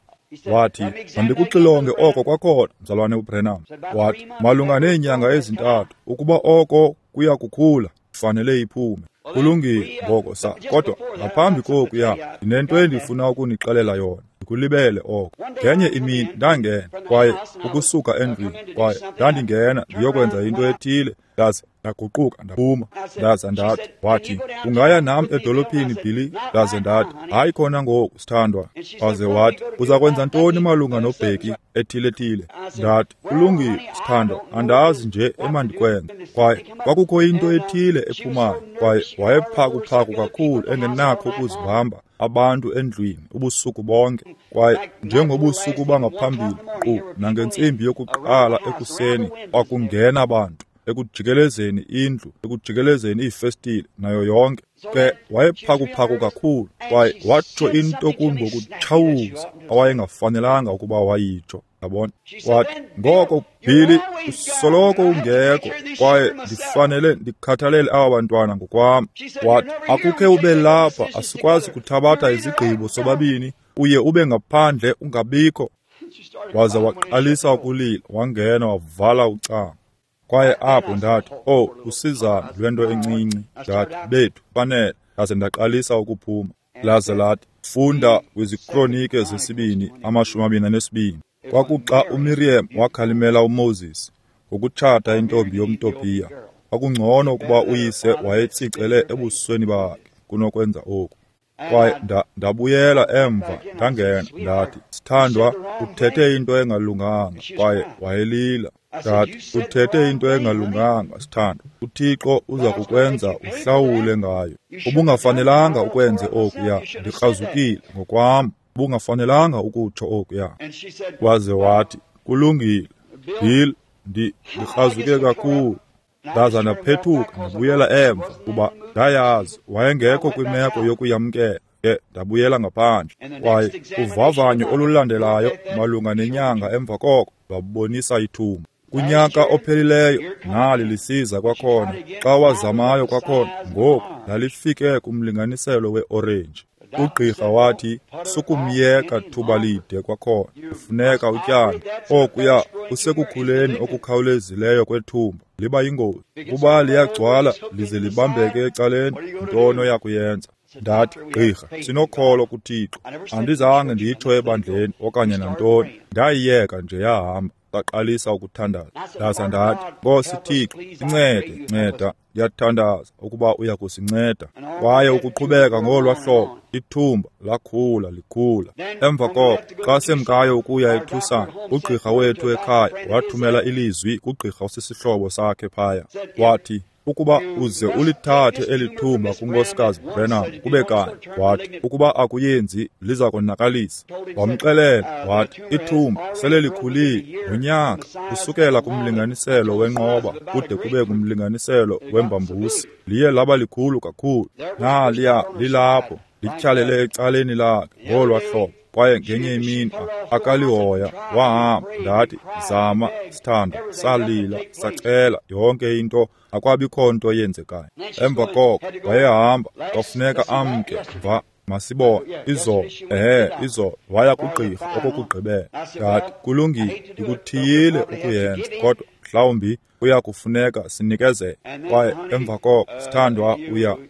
Wathi, mandikuxilonge oko kwakhona, mzalwane uBranham. Wathi, malunga neenyanga ezintathu, ukuba oko kuya kukhula, kufanele iphume. Kulungile ngoko kodwa ngaphambi kokuya, ndinento endifuna ukunixelela yona. Ndikulibele oko. Ngenye imini ndangena, kwaye ukusuka endlwini, kwaye ndandingena ndiyokwenza into ethile, ndaze ndaguquka ndaphuma. Ndaza ndathi, wathi, ungaya nam edolophini, Billy? Ndaze ndathi, hayi khona ngoku, sithandwa. Waze wathi, uza kwenza ntoni malunga noBheki ethile-thile? Ndathi, kulungile, sithandwa, andazi nje emandikwenza. Kwaye kwakukho into ethile ephumayo, kwaye wayephakuphaku kakhulu engenakho ukuzibamba abantu endlwini ubusuku bonke. Kwaye njengobusuku bangaphambili, qu nangentsimbi yokuqala ekuseni kwakungena abantu ekujikelezeni indlu, ekujikelezeni iifestile nayo yonke. Ke wayephakuphaku kakhulu, kwaye watsho into kum ngokutshawuza awayengafanelanga ukuba wayitsho, yabona. Wathi, ngoko Billy, usoloko ungekho, kwaye ndifanele ndikhathalele aba bantwana ngokwam. Wathi, akukhe ube lapha, asikwazi kuthabatha izigqibo sobabini, uye ube ngaphandle ungabikho. Waza waqalisa ukulila, wangena wavala ucango. Kwaye apho ndathi, oh, usizana lwento encinci. Ndathi, bethu, fanele. Ndaze ndaqalisa ukuphuma. Laze lathi, funda kwiziKronike zesibini, 22. Kwakuxa uMiriam wakhalimela uMoses ngokutshata intombi yomTopiya. Kwakungcono ukuba uyise wayetsicele ebusweni bakhe kunokwenza oku. Kwaye ndabuyela emva, ndangena, ndathi, sithandwa, uthethe into engalunganga. Kwaye wayelila. Ndathi, uthethe into engalunganga, sithandwa. UThixo uza kukwenza uhlawule ngayo. Ubungafanelanga ukwenze okuya. Ndikrazukile ngokwam. Ubungafanelanga ukutsho okuya. Waze wathi, kulungile, Bill, ndikrazuke kakhulu. Ndaza ndaphethuka ndabuyela emva, kuba ndayazi wayengekho kwimeko yokuyamkela. Ke ndabuyela ngaphandle. Kwaye uvavanyo olulandelayo malunga nenyanga emva koko lwabonisa ithumba. Kunyaka ophelileyo nali lisiza kwakhona. Xa wazamayo kwakhona, ngoku lalifike kumlinganiselo weorenji. Ugqirha wathi, sukumyeka thuba lide kwakhona, kufuneka utyande. Okuya kusekukhuleni okukhawulezileyo kwethumba, liba yingozi. Kuba liyagcwala lize libambeke ecaleni, ntoni oyakuyenza? Ndathi, gqirha, sinokholo kuThixo. Andizange nditsho ebandleni okanye nantoni. Ndayiyeka nje yahamba. Saqalisa ukuthandaza. Ndaza ndathi, Nkosi Thixo, incede, nceda, ndiyathandaza ukuba uya kusinceda. Kwaye ukuqhubeka ngolwa hlobo, ithumba lakhula likhula. Emva koko, xa semkayo ukuya eTucson, ugqirha wethu ekhaya wathumela ilizwi kugqirha osisihlobo sakhe phaya. Wathi, ukuba uze ulithathe eli thumba kuNkosikazi Branham kube kanye, wathi, ukuba akuyenzi liza konakalisa. Wamxelela wathi, ithumba sele likhulile ngonyaka kusukela kumlinganiselo wenqoba kude kube kumlinganiselo wembambusi, liye laba likhulu kakhulu. Naliya lilapho lityhalele ecaleni lakhe ngolwa hlobo. Kwaye ngenye imini akalihoya, wahamba. Ndathi, zama, sithandwa. Salila, sacela yonke into, akwabikho nto yenzekayo. Emva koko wayehamba, kwafuneka amke. Va, masibone izolo, izolo waya kugqirha okokugqibela. Ndathi, kulungile, ndikuthiyile ukuyenza, kodwa mhlawumbi kuya kufuneka sinikezele. Kwaye emva koko, sithandwa,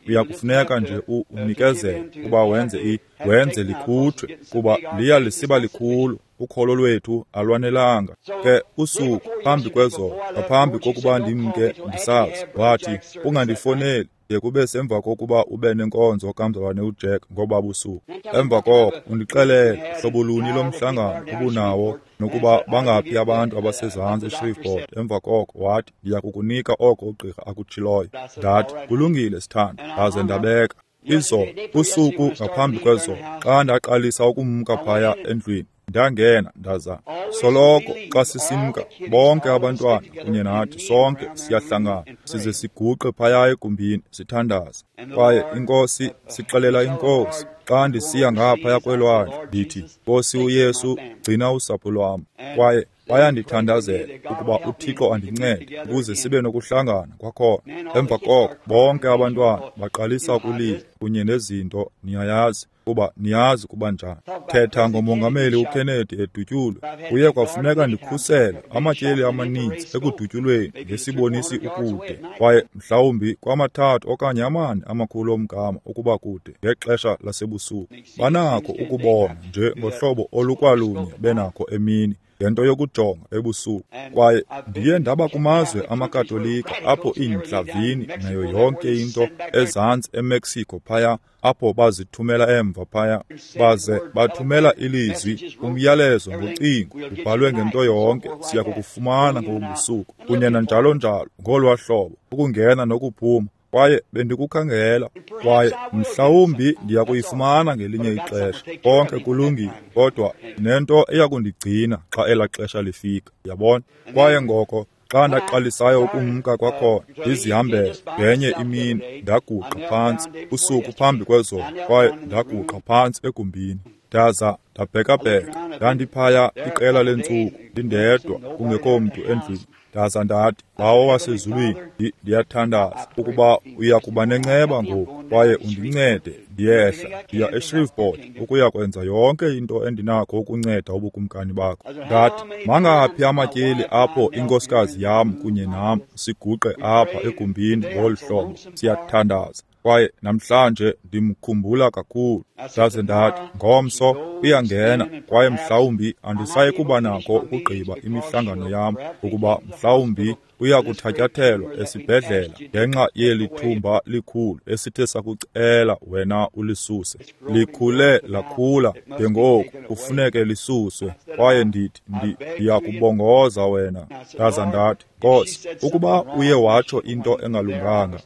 uya kufuneka nje unikezele kuba wenze likhutshwe, kuba liya lisiba likhulu. Ukholo lwethu alwanelanga. Ke usuku phambi kwezolo, ngaphambi kokuba ndimke ndisazi, wathi, ungandifoneli de kube semva kokuba ube nenkonzo kamzalwane uJack ngoba busuku. Emva koko undixelele hlobo luni lomhlangano ubunawo nokuba bangaphi abantu abasezantsi eShreveport. Emva koko wathi, ndiya kukunika oko ugqirha akutshiloyo. Ndathi, kulungile, sithandwa. Ndaze ndabeka. Izolo, usuku ngaphambi kwezolo, xa ndaqalisa ukumka phaya endlwini, ndangena ndaza. Soloko xa sisimka, bonke abantwana kunye nathi sonke siyahlangana size siguqe phaya egumbini sithandaze. Kwaye iNkosi, sixelela iNkosi, xa ndisiya ngaphaya kwelwandle, ndithi, Nkosi uYesu, gcina usapho lwam. Kwaye bayandithandazela ukuba uThixo andincede ukuze sibe nokuhlangana kwakhona. Emva koko bonke abantwana baqalisa ukulila kunye nezinto, niyayazi, kuba niyazi kuba njani. Thetha ngomongameli uKennedy edutyulwe. Kuye kwafuneka ndikhusele amatyeli amaninzi ekudutyulweni ngesibonisi ukude, kwaye mhlawumbi kwamathathu okanye amane amakhulu omgama ukuba kude ngexesha lasebusuku. Banakho ukubona nje ngohlobo olukwalunye benakho emini, ngento yokujonga ebusuku. Kwaye ndiye ndaba kumazwe amaKatolika apho iintlavini nayo yonke into ezantsi eMexico phaya, apho bazithumela emva phaya, baze bathumela ilizwi, umyalezo ngocingo, ubhalwe ngento yonke, siya kukufumana ngobusuku, kunye nanjalo njalo, ngolwa hlobo, ukungena nokuphuma. Kwaye bendikukhangela, kwaye mhlawumbi ndiya kuyifumana ngelinye ixesha. Konke kulungile, kodwa nento eyakundigcina xa elaa xesha lifika, yabona. Kwaye ngoko xa ndaqalisayo ukumka kwakhona, ndizihambele ngenye imini, ndaguqa phantsi usuku phambi kwezolo, kwaye ndaguqa phantsi egumbini. Ndaza ndabhekabheka, ndandiphaya iqela leentsuku ndindedwa, kungekho mntu endlwini. Ndaza ndathi, Bawo wasezulwini, ndiyathandaza ukuba uya kuba nenceba ngoku, kwaye undincede ndiyehla ndiya eShreveport ukuya kwenza yonke into endinakho ukunceda ubukumkani bakho. Ndathi, mangaphi amatyeli apho inkosikazi yam kunye nam siguqe apha egumbini ngolu hlobo, siyathandaza. Kwaye namhlanje ndimkhumbula kakhulu. Ndaze ndathi, ngomso uyangena, kwaye mhlawumbi andisayi kuba nako ukugqiba imihlangano yam, ukuba mhlawumbi uya kuthatyathelwa esibhedlela ngenxa yeli thumba likhulu esithe sakucela wena ulisuse. Likhule lakhula de ngoku kufuneke lisuswe, kwaye ndithi ndiyakubongoza wena. Ndaza ndathi, Nkosi, ukuba uye watsho into engalunganga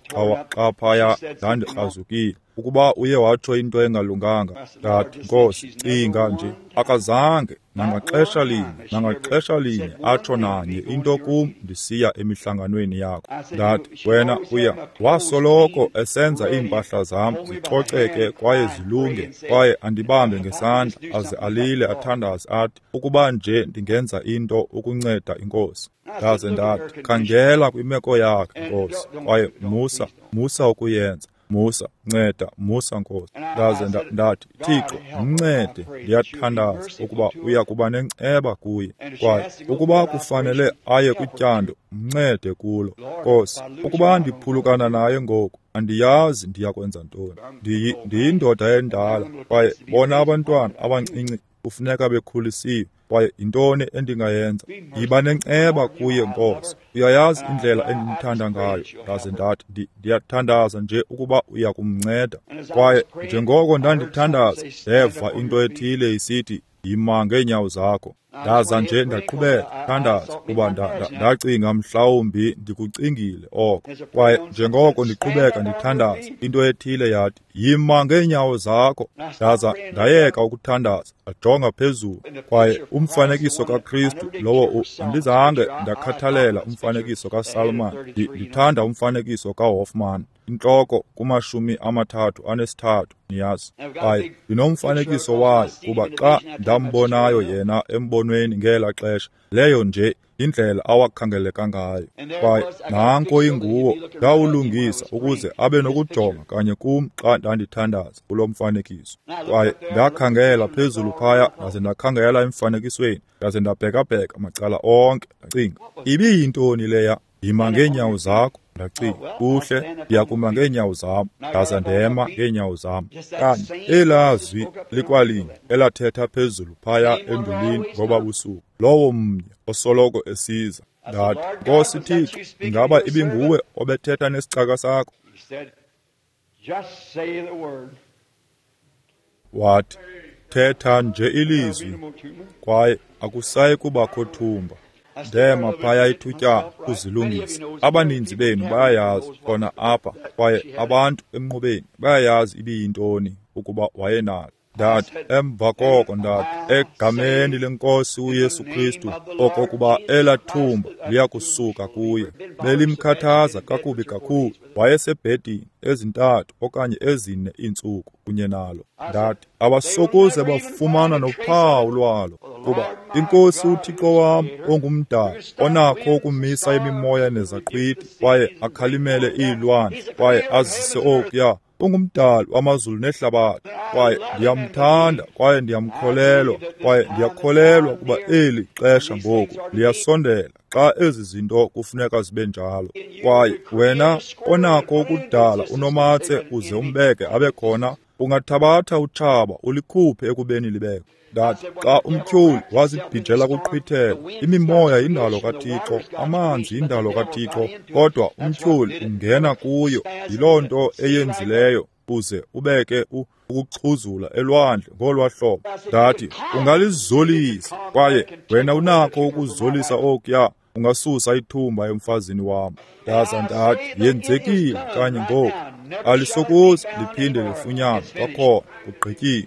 xa phaya ndandikrazukile, ukuba uye watsho into engalunganga, ndathi, Nkosi, cinga nje, akazange nangaxesha linye atsho nanye into kum ndisiya emihlanganweni yakho. Ndathi, wena uya wasoloko esenza iimpahla zam zicoceke kwaye zilunge, kwaye andibambe ngesandla aze alile athandaze athi, ukuba nje ndingenza into ukunceda iNkosi. Ndaze ndathi, khangela kwimeko yakhe, Nkosi, kwaye musa ukuyenza. Musa, nceda, musa, Nkosi. Ndaze ndathi, Thixo, mncede, ndiyathandaza ukuba uya kuba nenceba kuye. Kwaye ukuba kufanele aye kutyando, mncede kulo. Nkosi, ukuba ndiphulukana naye ngoku, andiyazi ndiya kwenza ntoni. Ndiyindoda endala, kwaye bona abantwana abancinci kufuneka bekhulisiwe. Kwaye yintoni endingayenza? Yiba nenceba kuye, Nkosi. Uyayazi indlela endimthanda ngayo. Ndaze ndathi, ndiyathandaza nje ukuba uya kumnceda. Kwaye njengoko ndandithandaza, ndeva into ethile isithi, yima ngeenyawo zakho. Ndaza nje ndaqhubeka thandaza, kuba ndacinga mhlawumbi ndikucingile oko. Kwaye njengoko ndiqhubeka ndithandaza, into ethile yathi, yima ngeenyawo zakho. Ndaza ndayeka ukuthandaza, ndajonga phezulu. Kwaye umfanekiso kaKristu lowo andizange ndakhathalela umfanekiso kaSalman, ndithanda umfanekiso kaHoffman, intloko ku-33, niyazi. Kwaye ndinomfanekiso wayo, kuba xa ndambonayo yena embonweni ngela xesha, leyo nje indlela awakhangeleka ngayo. Kwaye nanko inguwo, ndawulungisa ukuze abe nokujonga kanye kum xa ndandithandaza kulo mfanekiso. Kwaye ndakhangela phezulu phaya, ndaze ndakhangela emfanekisweni, ndaze ndabhekabheka macala onke, ndacinga, ibiyintoni leya? Yima ngeenyawo zakho. Ndacinga, kuhle, ndiyakuma ngeenyawo zam. Ndaza ndema ngeenyawo zam. Kanye elaa zwi likwalinye elathetha phezulu phaya endulini ngoba busuku, lowo mnye osoloko esiza. Ndathi, Nkosi Thixo, ingaba ibinguwe obethetha nesicaka sakho? Wathi, thetha nje ilizwi, kwaye akusayi kubakho thumba. Ndema phaya ithutyana ukuzilungisa. Abaninzi benu bayayazi khona apha, kwaye abantu emnqubeni bayayazi ibiyintoni ukuba wayenalo. Ndathi, emva koko ndathi, egameni leNkosi uYesu Kristu, okokuba elaa thumba liyakusuka kuye. Belimkhathaza kakubi kakhulu. Wayesebhedini ezi-3 okanye 4 iintsuku kunye nalo. Ndathi, abasokuze bafumana nophawu lwalo, kuba iNkosi uThixo wam ongumdali, onakho ukumisa imimoya nezaqhwithi, kwaye akhalimele iilwandle, kwaye azise okuya, ungumdali wamazulu nehlabathi. Kwaye ndiyamthanda, kwaye ndiyamkholelwa, kwaye ndiyakholelwa kuba eli xesha ngoku liyasondela xa ezi zinto kufuneka zibe njalo. Kwaye wena onakho ukudala unomatse uze umbeke abe khona, ungathabatha utshaba ulikhuphe ekubeni libekho. Ndathi, xa umtyholi wazibhijela kuqhwithela, imimoya yindalo kaThixo, amanzi yindalo kaThixo, kodwa umtyholi ungena kuyo. Yiloo nto eyenzileyo uze ubeke ukuxhuzula elwandle ngolwa hlobo. Ndathi, ungalizolisa, kwaye wena unakho ukuzolisa okuya, ungasusa ithumba emfazini wam. Ndaza ndathi, yenzekile kanye ngoku, alisokuze liphinde lifunyanwe kwakhona, kugqityiwe.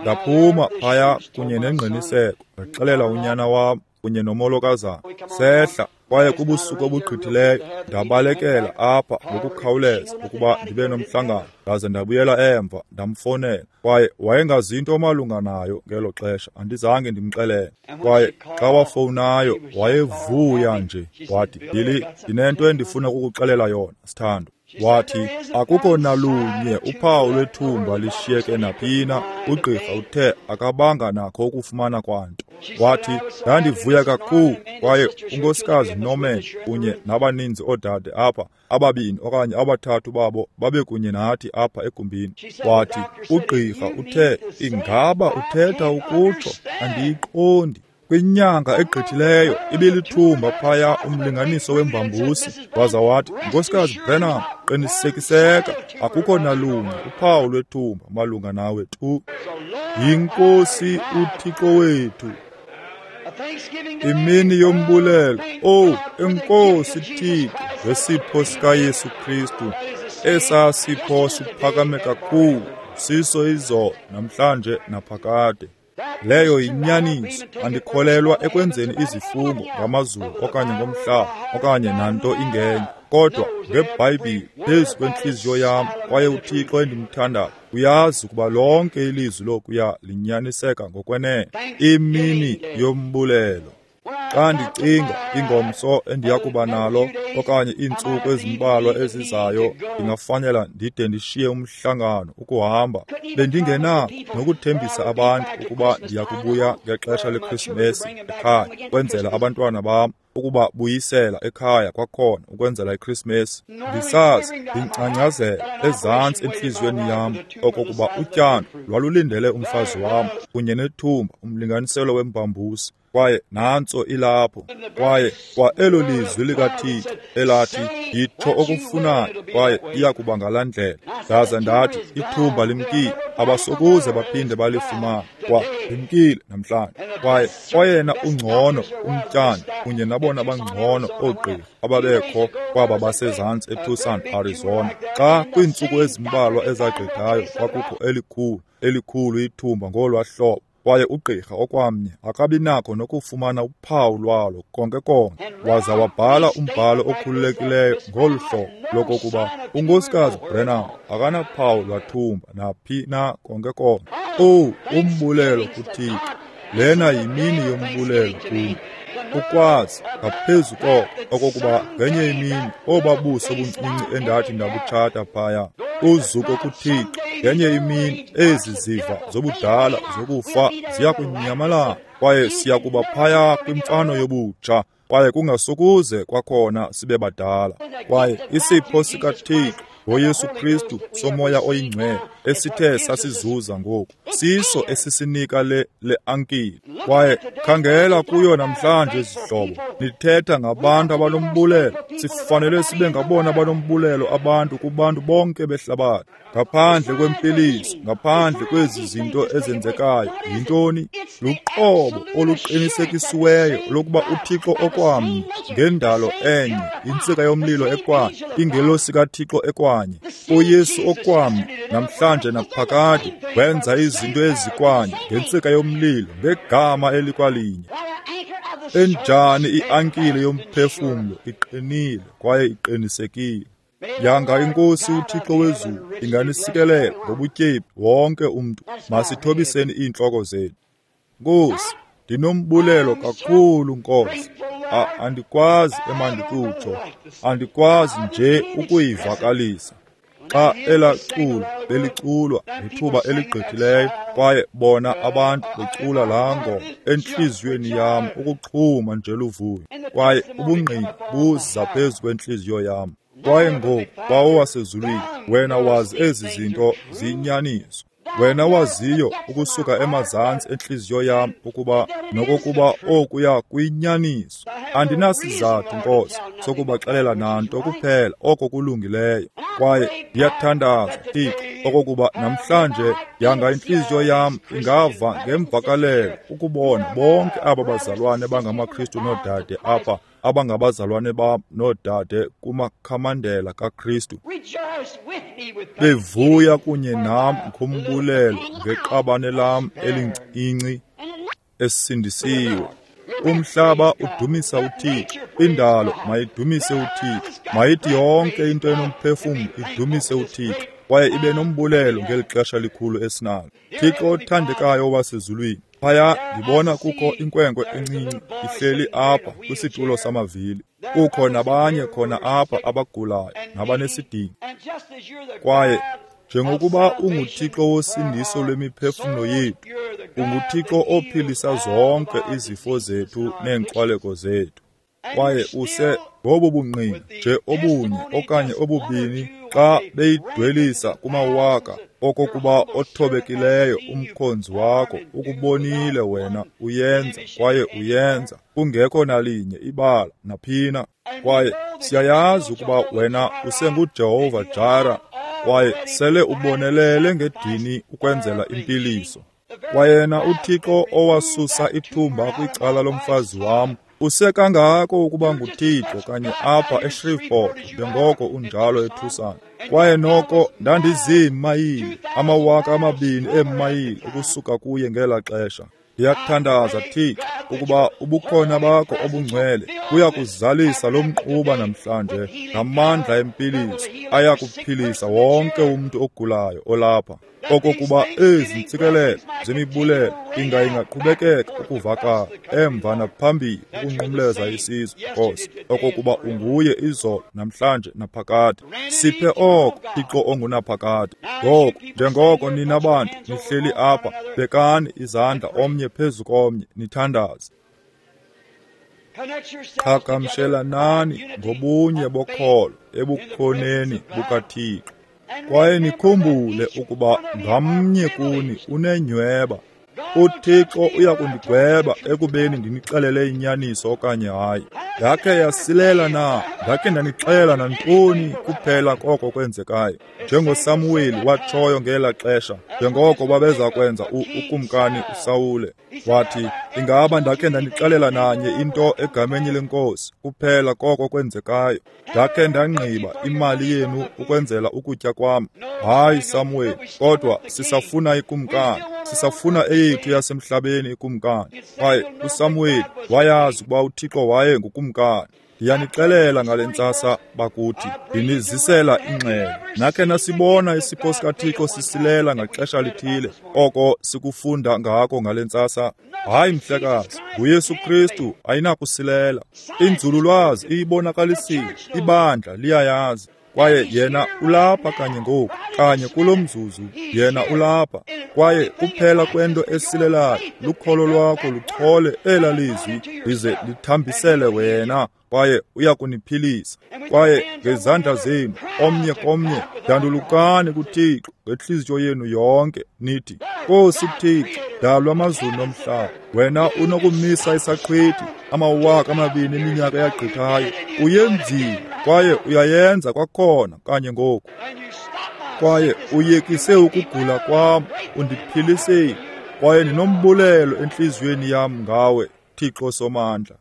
Ndaphuma phaya kunye nengqiniseko, ndaxelela unyana wam kunye nomolokazana. Sehla, kwaye kubusuku obugqithileyo ndabalekela apha ngokukhawuleza ukuba ndibe nomhlangano. Ndaze ndabuyela emva, ndamfonela, kwaye wayengazinto malunga nayo ngelo xesha, andizange ndimxelele. Kwaye xa wafowunayo wayevuya nje, wathi, Billy, ndinento endifuna ukukuxelela yona, sithando. Wathi, akukho nalunye uphawu lwethumba lishiyeke naphina. Ugqirha uthe akabanga nakho ukufumana kwanto. Wathi, ndandivuya kakhulu, kwaye unkosikazi Norman kunye nabaninzi oodade apha, 2 okanye 3 babo babekunye nathi apha egumbini. Wathi, ugqirha uthe, ingaba uthetha ukutsho, andiyiqondi. Kwinyanga egqithileyo ibilithumba phaya umlinganiso wembambusi, waza wathi, Nkosikazi Branham, qinisekiseka akukho nalunye uphawu lwethumba malunga nawe tu. YiNkosi uThixo wethu. Imini yombulelo. Owu, enkosi Thixo ngesipho sikaYesu Kristu. Esa sipho siphakame kakhulu, siso izolo, namhlanje naphakade. Leyo yinyaniso. Andikholelwa ekwenzeni izifungo ngamazulu okanye ngomhlaba okanye nanto ingenye, kodwa ngeBhayibhile phezu kwentliziyo yam, kwaye uThixo endimthandayo uyazi ukuba lonke ilizwi lokuya linyaniseka ngokwenene. Imini yombulelo. Xa ndicinga ingomso endiyakuba nalo okanye iintsuku ezimbalwa ezizayo, ndingafanela ndide ndishiye umhlangano ukuhamba. Bendingenako nokuthembisa abantu ukuba ndiyakubuya ngexesha leKrisimesi ekhaya, kwenzela abantwana bam ukuba buyisela ekhaya kwakhona ukwenzela iKrisimesi. Ndisazi ndingcangcazela ezantsi entliziyweni yam okokuba utyando lwalulindele umfazi wam kunye nethumba umlinganiselo wembambusi, kwaye nantso ilapho. Kwaye kwa elo lizwi likaThixo elathi, yitsho okufunayo, kwaye iyakuba ngalaa ndlela. Ndaza ndathi, ithumba limkile, abasokuze baphinde balifumane. Kwa limkile namhlanje. Kwaye oyena ungcono umtyando kunye nabona bangcono oogqirha ababekho kwaba basezantsi eTucson, Arizona, xa kwiintsuku ezimbalwa ezagqithayo kwakukho elikhulu ithumba ngolwaa hlobo, kwaye ugqirha okwamnye akabi nakho nokufumana uphawu lwalo konke konke. Waza wabhala umbhalo okhululekileyo ngolu hlobo lokokuba uNkosikazi Branham akanaphawu lwathumba naphi na konke konke. Owu, umbulelo kuThixo. Lena yimini yombulelo kum. Ukwazi ngaphezu koko okokuba ngenye imini obabuso obuncinci endathi ndabutshata phaya, uzuko kuThixo, ngenye imini ezi ziva zobudala zokufa ziya kunyamalala, kwaye siya kuba phaya kwimfano yobutsha, kwaye kungasokuze kwakhona sibe badala. Kwaye isipho sikaThixo ngoYesu Kristu somoya oyingcwele esithe sasizuza ngoku, siso esisinika le ankile. Kwaye khangela kuyo namhlanje, zihlobo, nithetha ngabantu abanombulelo. Sifanele sibe ngabona abanombulelo abantu kubantu bonke behlabathi. Ngaphandle kwempiliso, ngaphandle kwezi zinto ezenzekayo, yintoni? Luqobo oluqinisekisiweyo lokuba uThixo okwamnye ngendalo enye, intsika yomlilo ekwanye, ingelosi kaThixo ekwanye, uYesu okwamnye namhlanje naphakade, wenza izinto ezikwanye ngentsika yomlilo ngegama elikwalinye. Enjani iankile yomphefumlo, iqinile kwaye iqinisekile. Yanga iNkosi uThixo wezulu inganisikelela ngobutyebi wonke umntu. Masithobiseni iintloko zethu. Nkosi, ndinombulelo kakhulu, Nkosi. Andikwazi emandikutsho, andikwazi nje ukuyivakalisa. Xa elaa culo beliculwa ngethuba eligqithileyo, kwaye bona abantu becula laa ngoma, entliziyweni yam ukuxhuma nje luvuyo, kwaye ubungqina buza phezu kwentliziyo yam. Kwaye ngoku, Bawo wasezulwini, wena wazi ezi zinto ziyinyaniso. Wena waziyo ukusuka emazantsi entliziyo yam ukuba nokokuba okuya kuyinyaniso. Andinasizathu, Nkosi, sokubaxelela nanto kuphela oko kulungileyo. Kwaye ndiyathandaza, Thixo, okokuba namhlanje yanga intliziyo yam ingava ngemvakalelo ukubona bonke aba bazalwane bangamaKristu noodade apha, abangabazalwane bam noodade kumakhamandela kaKristu, bevuya kunye nam ngombulelo ngeqabane lam elincinci esindisiwe. Umhlaba udumisa uThixo, indalo mayidumise uThixo, mayithi yonke into enomphefumlo idumise uThixo, kwaye ibe nombulelo ngeli xesha likhulu esinalo. Thixo othandekayo wasezulwini, phaya ndibona kukho inkwenkwe encinci ihleli apha kwisitulo samavili. Kukho nabanye khona apha abagulayo nabanesidingo. Kwaye njengokuba unguThixo wosindiso lwemiphefumlo yethu, unguThixo ophilisa zonke izifo zethu neenkxwaleko zethu. Kwaye use ngobu bungqina nje obunye okanye obubini xa beyidwelisa kumawaka okokuba othobekileyo umkhonzi wakho ukubonile wena uyenza kwaye uyenza kungekho nalinye ibala naphina. Kwaye siyayazi ukuba wena usenguJehova Jara kwaye sele ubonelele ngedini ukwenzela impiliso. Kwayena uThixo owasusa ithumba kwicala lomfazi wam usekangako ukuba nguThixo kanye apha eShreveport njengoko unjalo eTucson. Kwaye noko ndandiziimayile, 2,000 eemayile ukusuka kuye ngela xesha. Ndiyakuthandaza Thixo ukuba ubukhona bakho obungcwele buya kuzalisa lo mnquba namhlanje ngamandla empiliso aya kuphilisa wonke umntu ogulayo olapha, okokuba ezi ntsikelelo zemibulelo ingaqhubekeka ukuvakala emva naphambili ukunqumleza isizwe, Nkosi, okokuba unguye izolo namhlanje naphakade. Siphe oko, Thixo ongunaphakade. Ngoku njengoko nina bantu nihleli apha, bekani izandla omnye phezu komnye nithandaze. Qhagamshelanani ngobunye bokholo ebukhoneni bukaThixo. Kwaye nikhumbule ukuba ngamnye kuni unenyweba. UThixo uya kundigweba ekubeni ndinixelele inyaniso okanye hayi. Ndakhe yasilela na? Ndakhe ndanixela nantoni kuphela koko kwenzekayo? NjengoSamuweli watshoyo ngela xesha, njengoko babeza kwenza ukumkani uSawule, wathi, ingaba ndakhe ndanixelela nanye into egameni leNkosi kuphela koko kwenzekayo? Ndakhe ndangqiba imali yenu ukwenzela ukutya kwam? Hayi, Samuweli, kodwa sisafuna ikumkani, sisafuna eyethu yasemhlabeni ikumkani. Kwaye uSamuweli wayazi ukuba uThixo waye ngukumkani. Ndiyanixelela ngale ntsasa bakuthi, ndinizisela ingxelo. Nakhe nasibona isipho sikaThixo sisilela ngaxesha lithile, oko sikufunda ngako ngale ntsasa? Hayi mhlekazi, nguYesu Kristu ayinakusilela. Inzululwazi iyibonakalisile, ibandla liyayazi. Kwaye yena ulapha kanye ngoku, kanye kulo mzuzu, yena ulapha. Kwaye kuphela kwento esilelayo lukholo lwakho luchole ela lizwi lize lithambisele wena, kwaye uya kuniphilisa. Kwaye ngezandla zenu omnye komnye dandulukani kuThixo ngentliziyo yenu yonke, nithi, Nkosi Thixo, dalwa amazulu nomhlaba, wena unokumisa isaqhwithi 2,000 eminyaka yagqithayo, uyenzile kwaye uyayenza kwakhona kanye ngoku. Kwaye uyekise ukugula kwam, undiphilisile, kwaye ndinombulelo entliziyweni yam ngawe, Thixo Somandla.